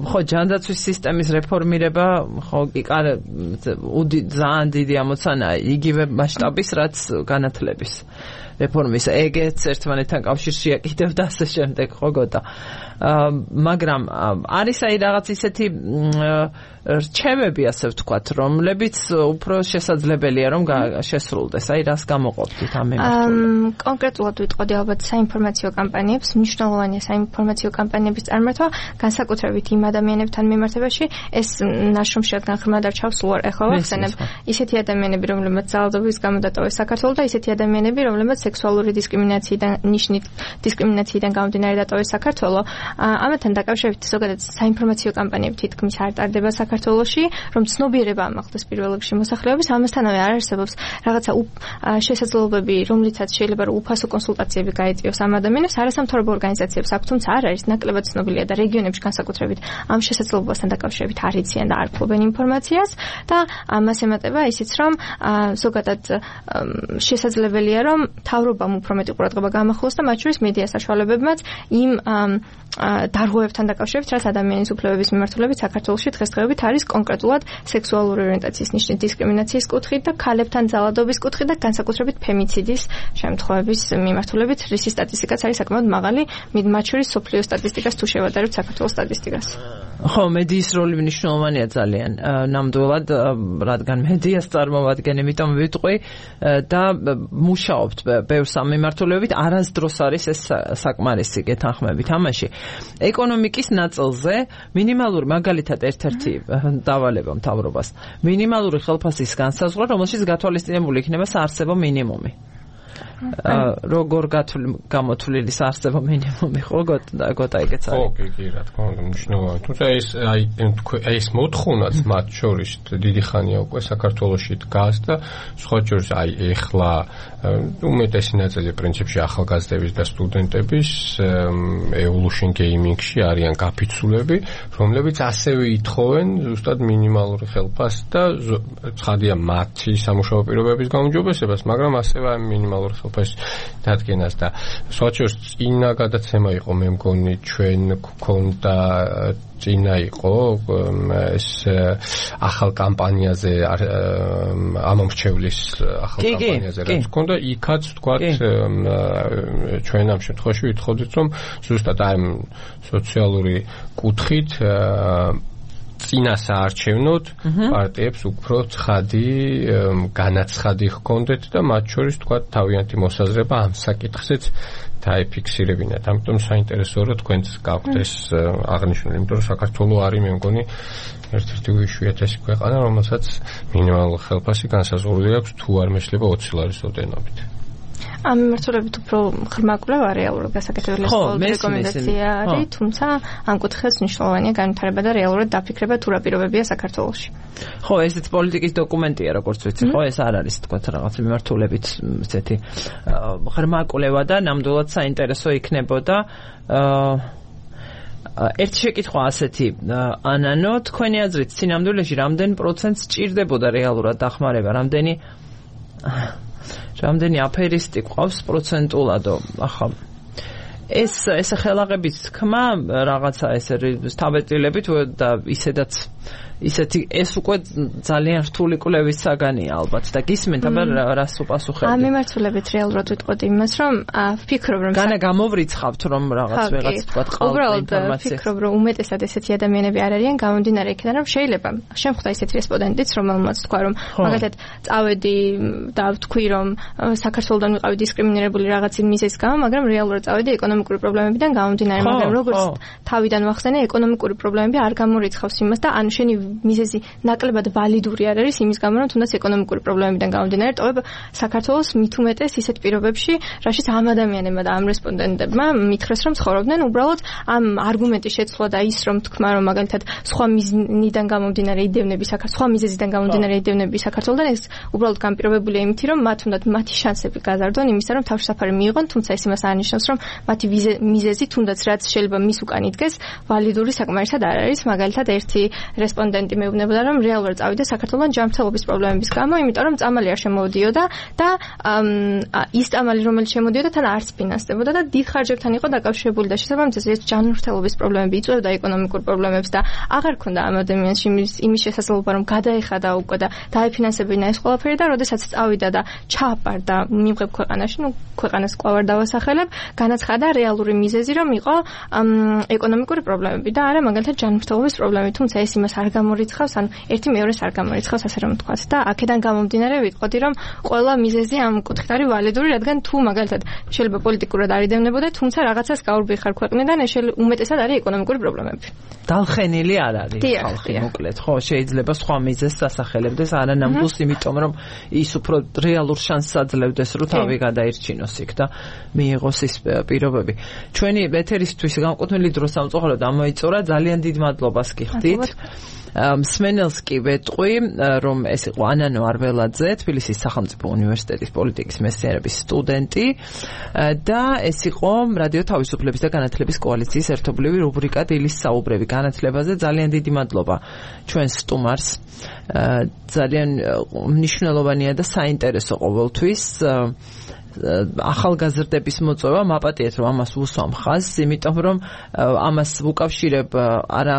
ხო ჯანდაცვის სისტემის რეფორმირება ხო ძალიან დიდი ამოცანაა იგივე მასშტაბის რაც განათლების რეფორმის ეგეც ერთმანეთთან კავშირში აკეთებდა ასე შემდეგ ხო გოდა. მაგრამ არის აი რაღაც ისეთი რჩევები ასე ვთქვათ, რომლებიც უფრო შესაძლებელია რომ შესრულდეს. აი რას გამოყოფთ ამ მიმართულებით? კონკრეტულად ვიტყოდი ალბათ საინფორმაციო კამპანიებს, მნიშვნელოვანია საინფორმაციო კამპანიების წარმართვა, განსაკუთრებით განსაკუთრებით იმ ადამიანებთან მიმართებაში ეს ნაშრომში რადგან ღრმად არ ჩავსულვარ ეხლა ვახსენებ ისეთი ადამიანები რომლებმაც ძალადობის გამო დატოვეს საქართველოს და ისეთი ადამიანები რომლებმაც სექსუალური დისკრიმინაციიდან გამომდინარე დატოვეს საქართველოს ამათთან დაკავშირებით ზოგადად საინფორმაციო კამპანიები თითქმის არ ტარდება საქართველოში რომ ცნობიერება ამახდეს პირველ რიგში მოსახლეობის ამასთანავე არ არსებობს რაღაცა შესაძლებლობები რომლითაც შეიძლება რომ უფასო კონსულტაციები გაეწიოს ამ ადამიანებს არასამთავრობო ორგანიზაციებს აქვს თუმცა არ არის ნაკლებად ცნობილია და რეგიონებში განსაკუთრებით ამ შესაძლებლობასთან დაკავშირებით არ იციან და არ ფლობენ ინფორმაციას და ამას ემატება ისიც რომ ზოგადად შესაძლებელია რომ მთავრობამ უფრო მეტი ყურადღება გამახვილოს და მათ შორის მედია საშუალებებმაც იმ დარღვევებთან დაკავშირებით რაც ადამიანის უფლებების მიმართულებით საქართველოში დღესდღეობით არის კონკრეტულად სექსუალური ორიენტაციის ნიშნის დისკრიმინაციის კუთხით და ქალებთან ძალადობის კუთხით და განსაკუთრებით ფემიციდის შემთხვევების მიმართულებით რისი სტატისტიკაც არის საკმაოდ მაღალი მათ შორის სოფლიო სტატისტიკას თუ შევადარებთ საქართველოს სტატისტიკას. ხო, მედიის როლი მნიშვნელოვანია ძალიან. ნამდვილად, რადგან მედიას წარმოვადგენ, იმიტომ ვიტყვი და მუშაობთ ბევრ სამიმართულებით, არასდროს არის ეს საკმარისი გეთანხმებით ამაში. ეკონომიკის ნაწილზე მინიმალური მაგალითად ერთ-ერთი დავალება მთავრობას. მინიმალური ხელფასის განსაზღვრა, რომელშიც გათვალისწინებული იქნება საარსებო მინიმუმი. როგორ გამოთვლილი საარსებო მინიმუმი ხო გოტა ეგეც არის. ხო, კი, რა თქმა უნდა, მნიშვნელოვანი. თუმცა ეს მოთხოვნაც მათ შორის დიდი ხანია უკვე საქართველოში დგას და სხვა შორის ეხლა უმეტესი ნაწილი პრინციპში ახალგაზრდების და სტუდენტების evolution gaming-ში არიან გაფიცულები, რომლებიც ასევე ითხოვენ ზუსტად მინიმალური ხელფასს და ცხადია მათი სამუშაო პირობების გაუმჯობესებას, მაგრამ ასევე მინიმალური ხელფასის დადგენას და სხვა შორის წინა გადაცემა იყო მე მგონი ჩვენ გქონდა წინა იყო ეს ახალ კამპანიაზე ამომრჩევლის ახალ კამპანიაზე რაც გქონდა იქაც თქვა ჩვენ ამ შემთხვევაში ვითხოვდით რომ ზუსტად აი სოციალური კუთხით წინასაარჩევნოდ პარტიებს უფრო ცხადი განაცხადი ჰქონდეთ და მათ შორის თქვა თავიანთი მოსაზრება ამ საკითხზეც დაიფიქსირებინათ. ამიტომ საინტერესოა რომ თქვენც გაქვთ ეს აღნიშნული, იმიტომ რომ საქართველოს არის მე მგონი ერთ-ერთი უიშვიათესი ქვეყანა, რომელსაც მინიმალური ხელფასი განსაზღვრული აქვს თუ არ მეშლება 20 ლარის ოდენობით. ამ მიმართულებით უფრო ღრმა კვლევა რეალურად გასაკეთებელი რეკომენდაცია არის, თუმცა ამ კუთხეს მნიშვნელოვანია განვითარება და რეალურად დაფიქრება თუ რა პირობებია საქართველოში. ხო, ესეც პოლიტიკის დოკუმენტია, როგორც ვიცი, ხო, ეს არ არის თქვა რაღაც მიმართულებით ესეთი ღრმა კვლევა და ნამდვილად საინტერესო იქნებოდა. ერთი შეკითხვა ასეთი, ანანო, თქვენი აზრით, სინამდვილეში რამდენ პროცენტს ჭირდებოდა რეალურად დახმარება, რამდენი აფერისტი ყავს პროცენტულადო ახლა ეს ხელაღების თქმა რაღაცა ეს თავეტილებით და ისეთი ეს უკვე ძალიან რთული კვლევის საგანია ალბათ და გისმენთ აბა რას უპასუხებთ ამ მიმართულებით რეალურად ვიტყოდი იმას რომ ვფიქრობ რომ განა გამოვრიცხავთ რომ ვიღაც თქვა ყავთ ინფორმაცია ვფიქრობ რომ უმეტესად ესეთი ადამიანები არ არიან გამომდინარე იქიდან რომ შეიძლება შემხვდა ესეთი რესპონდენტიც რომელმაც თქვა რომ მაგალითად წავედი და ვთქვი რომ საქართველოსდან ვიყავი დისკრიმინირებული რაღაცი მიზეზის გამო მაგრამ რეალურად წავედი ეკონომიკური პრობლემებიდან გამომდინარე მაგრამ როგორც თავიდან ვახსენე ეკონომიკური პრობლემები არ გამორიცხავს იმას და ან შენი მიზეზი ნაკლებად ვალიდური არ არის იმის გამო რომ თუნდაც ეკონომიკური პრობლემებიდან გამომდინარე ტოვებ საქართველოს მით უმეტეს ისეთ პირობებში რაშიც ამ ადამიანებმა და ამ რესპონდენტებმა მითხრეს რომ ცხოვრობდნენ უბრალოდ ამ არგუმენტის შეცვლა და ის რომ თქვა რომ მაგალითად სხვა მიზნიდან გამომდინარე იდევნები სხვა მიზეზიდან გამომდინარე იდევნები საქართველოსთან ეს უბრალოდ განპირობებულია იმით რომ მათ უნდათ მათი შანსები გაზარდონ იმისა რომ თავშესაფარი მიიღონ თუმცა ეს იმას არ ნიშნავს რომ მათი მიზეზი თუნდაც რაც შეიძლება მის უკან იდგეს ვალიდური საკმარისად არ არის მაგალითად ერთი რესპონდენტი მეუბნებოდა რომ რეალურად წავიდა საქართველოს ჯანმრთელობის პრობლემების გამო იმიტომ რომ წამალი არ შემოვიდიოდა და ის წამალი რომელიც შემოდიოდა თან არც ფინანსდებოდა და დიდ ხარჯებთან იყო დაკავშირებული და შესაბამისად ჯანმრთელობის პრობლემები იწვევდა ეკონომიკურ პრობლემებს და აღარ ქონდა ამ ადამიანს იმის შესაძლებლობა რომ გადაეხადა უკვე და დაეფინანსებინა ეს ყველაფერი და როდესაც წავიდა და ჩააპარდა მიღებ ქვეყანაში ქვეყანას კვლავ არ დავასახელებ განაცხადა რეალური მიზეზი რომ იყო ეკონომიკური პრობლემები და არა მაგალითად ჯანმრთელობის პრობლემები თუმცა ეს იმას არ გამორიცხავს, ანუ ერთი მეორეს არ გამორიცხავს, ასე რომ ვთქვათ. და აქედან გამომდინარე ვიტყოდი, რომ ყველა მიზეზი ამ კუთხით არის ვალიდური, რადგან თუ მაგალითად შეიძლება პოლიტიკურად არ იდევნებოდა, თუმცა რაღაცას გაურბიხარ ქვეყნიდან, უმეტესად არის ეკონომიკური პრობლემები. დალხენილი არ არის ხალხი, მოკლედ, ხო, შეიძლება სხვა მიზეზს ასახელებდეს, არა ნამდვილს, იმიტომ რომ ის უფრო რეალურ შანსს აძლევდეს, რომ თავი გადაირჩინოს იქ და მიიღოს ის პირობები. ჩვენი ეთერისთვის განკუთვნილი დრო სამწუხაროდ ამოიწურა, ძალიან დიდ მადლობას გიხდით. მსმენელს კი ვეტყვი, რომ ეს იყო ანანო არველაძე, თბილისის სახელმწიფო უნივერსიტეტის პოლიტიკის მეცნიერების სტუდენტი და ეს იყო რადიო თავისუფლების და განათლების კოალიციის ერთობლივი რუბრიკა დილის საუბრები განათლებაზე. ძალიან დიდი მადლობა ჩვენ სტუმარს. ძალიან მნიშვნელოვანია და საინტერესო ყოველთვის ახალგაზრდების მოწვევა, მაპატიეთ რომ ამას უსვამ ხაზს, იმიტომ რომ ამას ვუკავშირებ არა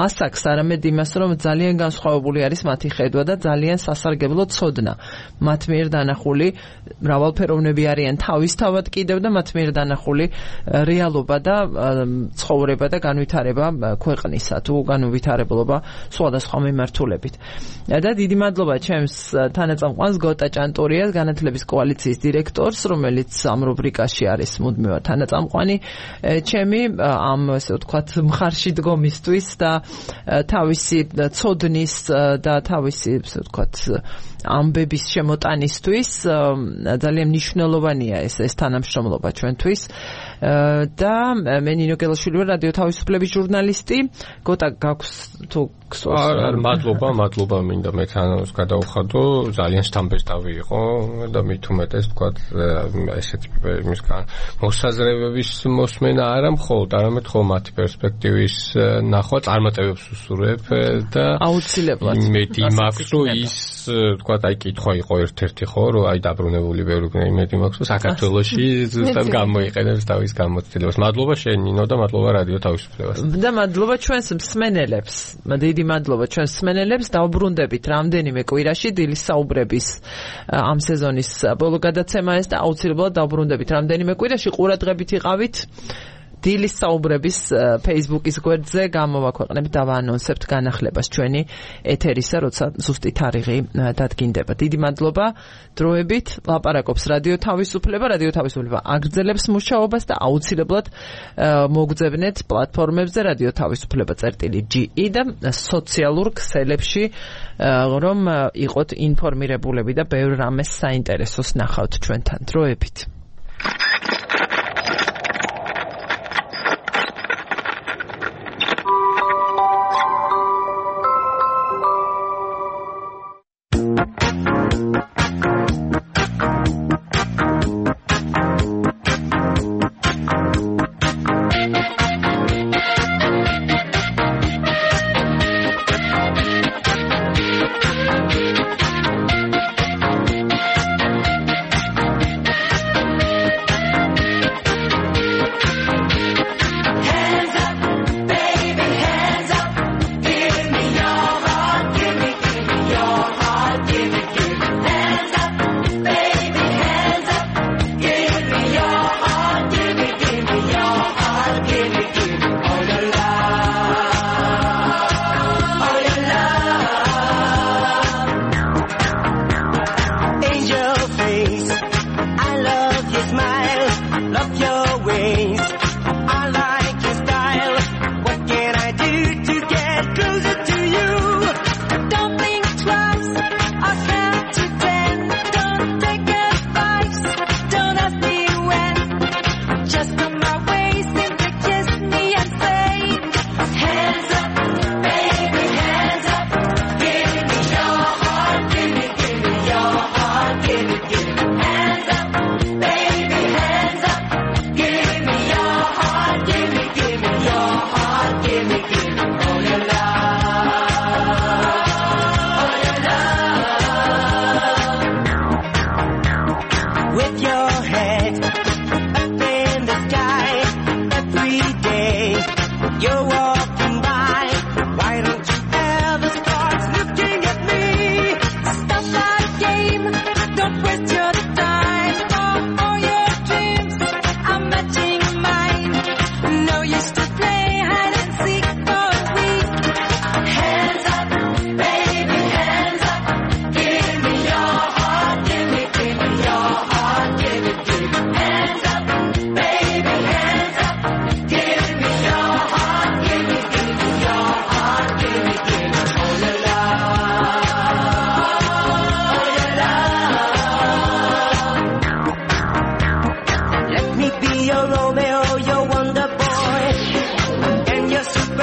ასაკს, არამედ იმას, რომ ძალიან განსხვავებული არის მათი ხედვა და ძალიან სასარგებლო ცოდნა. მათ მიერ დანახული მრავალფეროვნები არიან თავისთავად კიდევ და მათ მიერ დანახული რეალობა და ცხოვრება და განვითარება ქვეყნისა თუ განუვითარებლობა სხვადასხვა მიმართულებით. და დიდი მადლობა ჩემს თანაწამყვანს გოტა ჭანტურიას, განათლების კოალიციის დირექტორს, რომელიც ამ რუბრიკაში არის მუდმივად თანაწამყვანი ჩემი ამ ასე ვთქვათ მხარში დგომისთვის და თავისი ცოდნის და თავისი ასე ვთქვათ ამბების შემოტანისთვის ძალიან მნიშვნელოვანია ეს თანამშრომლობა ჩვენთვის და მე ნინო გელაშვილი ვარ, რადიო თავისუფლების ჟურნალისტი. გოტა გაქვს თუ მადლობა მინდა მეც ანონს გადავხადო, ძალიან სტამბესტავი იყო და მით უმეტეს ვთქვათ ესეთი მისგან მოსაზრებების მოსმენა არა მხოლოდ, არამედ ხოლმე მათი პერსპექტივის ნახვა წარმატებებს უსურვებ და აუცილებლად იმედი მაქვს, რომ ის ვთქვათ აი კითხვა იყო ერთ-ერთი ხო, რომ აი დაბრუნებული ბევრი იმედი მაქვს, რომ საქართველოში ზუსტად გამოიყენებს თავის გამოცდილებას. მადლობა შენ ნინო და მადლობა რადიო თავისუფლებას. და მადლობა ჩვენს მსმენელებს. დიდი მადლობა ჩვენს მსმენელებს. დავბრუნდებით რამდენიმე კვირაში დილის საუბრების ამ სეზონის ბოლო გადაცემა ეს და აუცილებლად დავბრუნდებით რამდენიმე კვირაში. ყურადღებით იყავით. დილის საუბრების Facebook-ის გვერდზე გამოვაქვეყნებთ და ვაანონსებთ განახლებას ჩვენი ეთერისა, როცა ზუსტი თარიღი დადგინდება. დიდი მადლობა. დროებით ლაპარაკობს რადიო თავისუფლება. რადიო თავისუფლება აგრძელებს მუშაობას და აუცილებლად მოგძებნეთ პლატფორმებზე რადიო თავისუფლება.ge და სოციალურ ქსელებში, რომ იყოთ ინფორმირებულები და ბევრ რამეს საინტერესოს ნახავთ ჩვენთან. დროებით.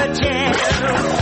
the chair.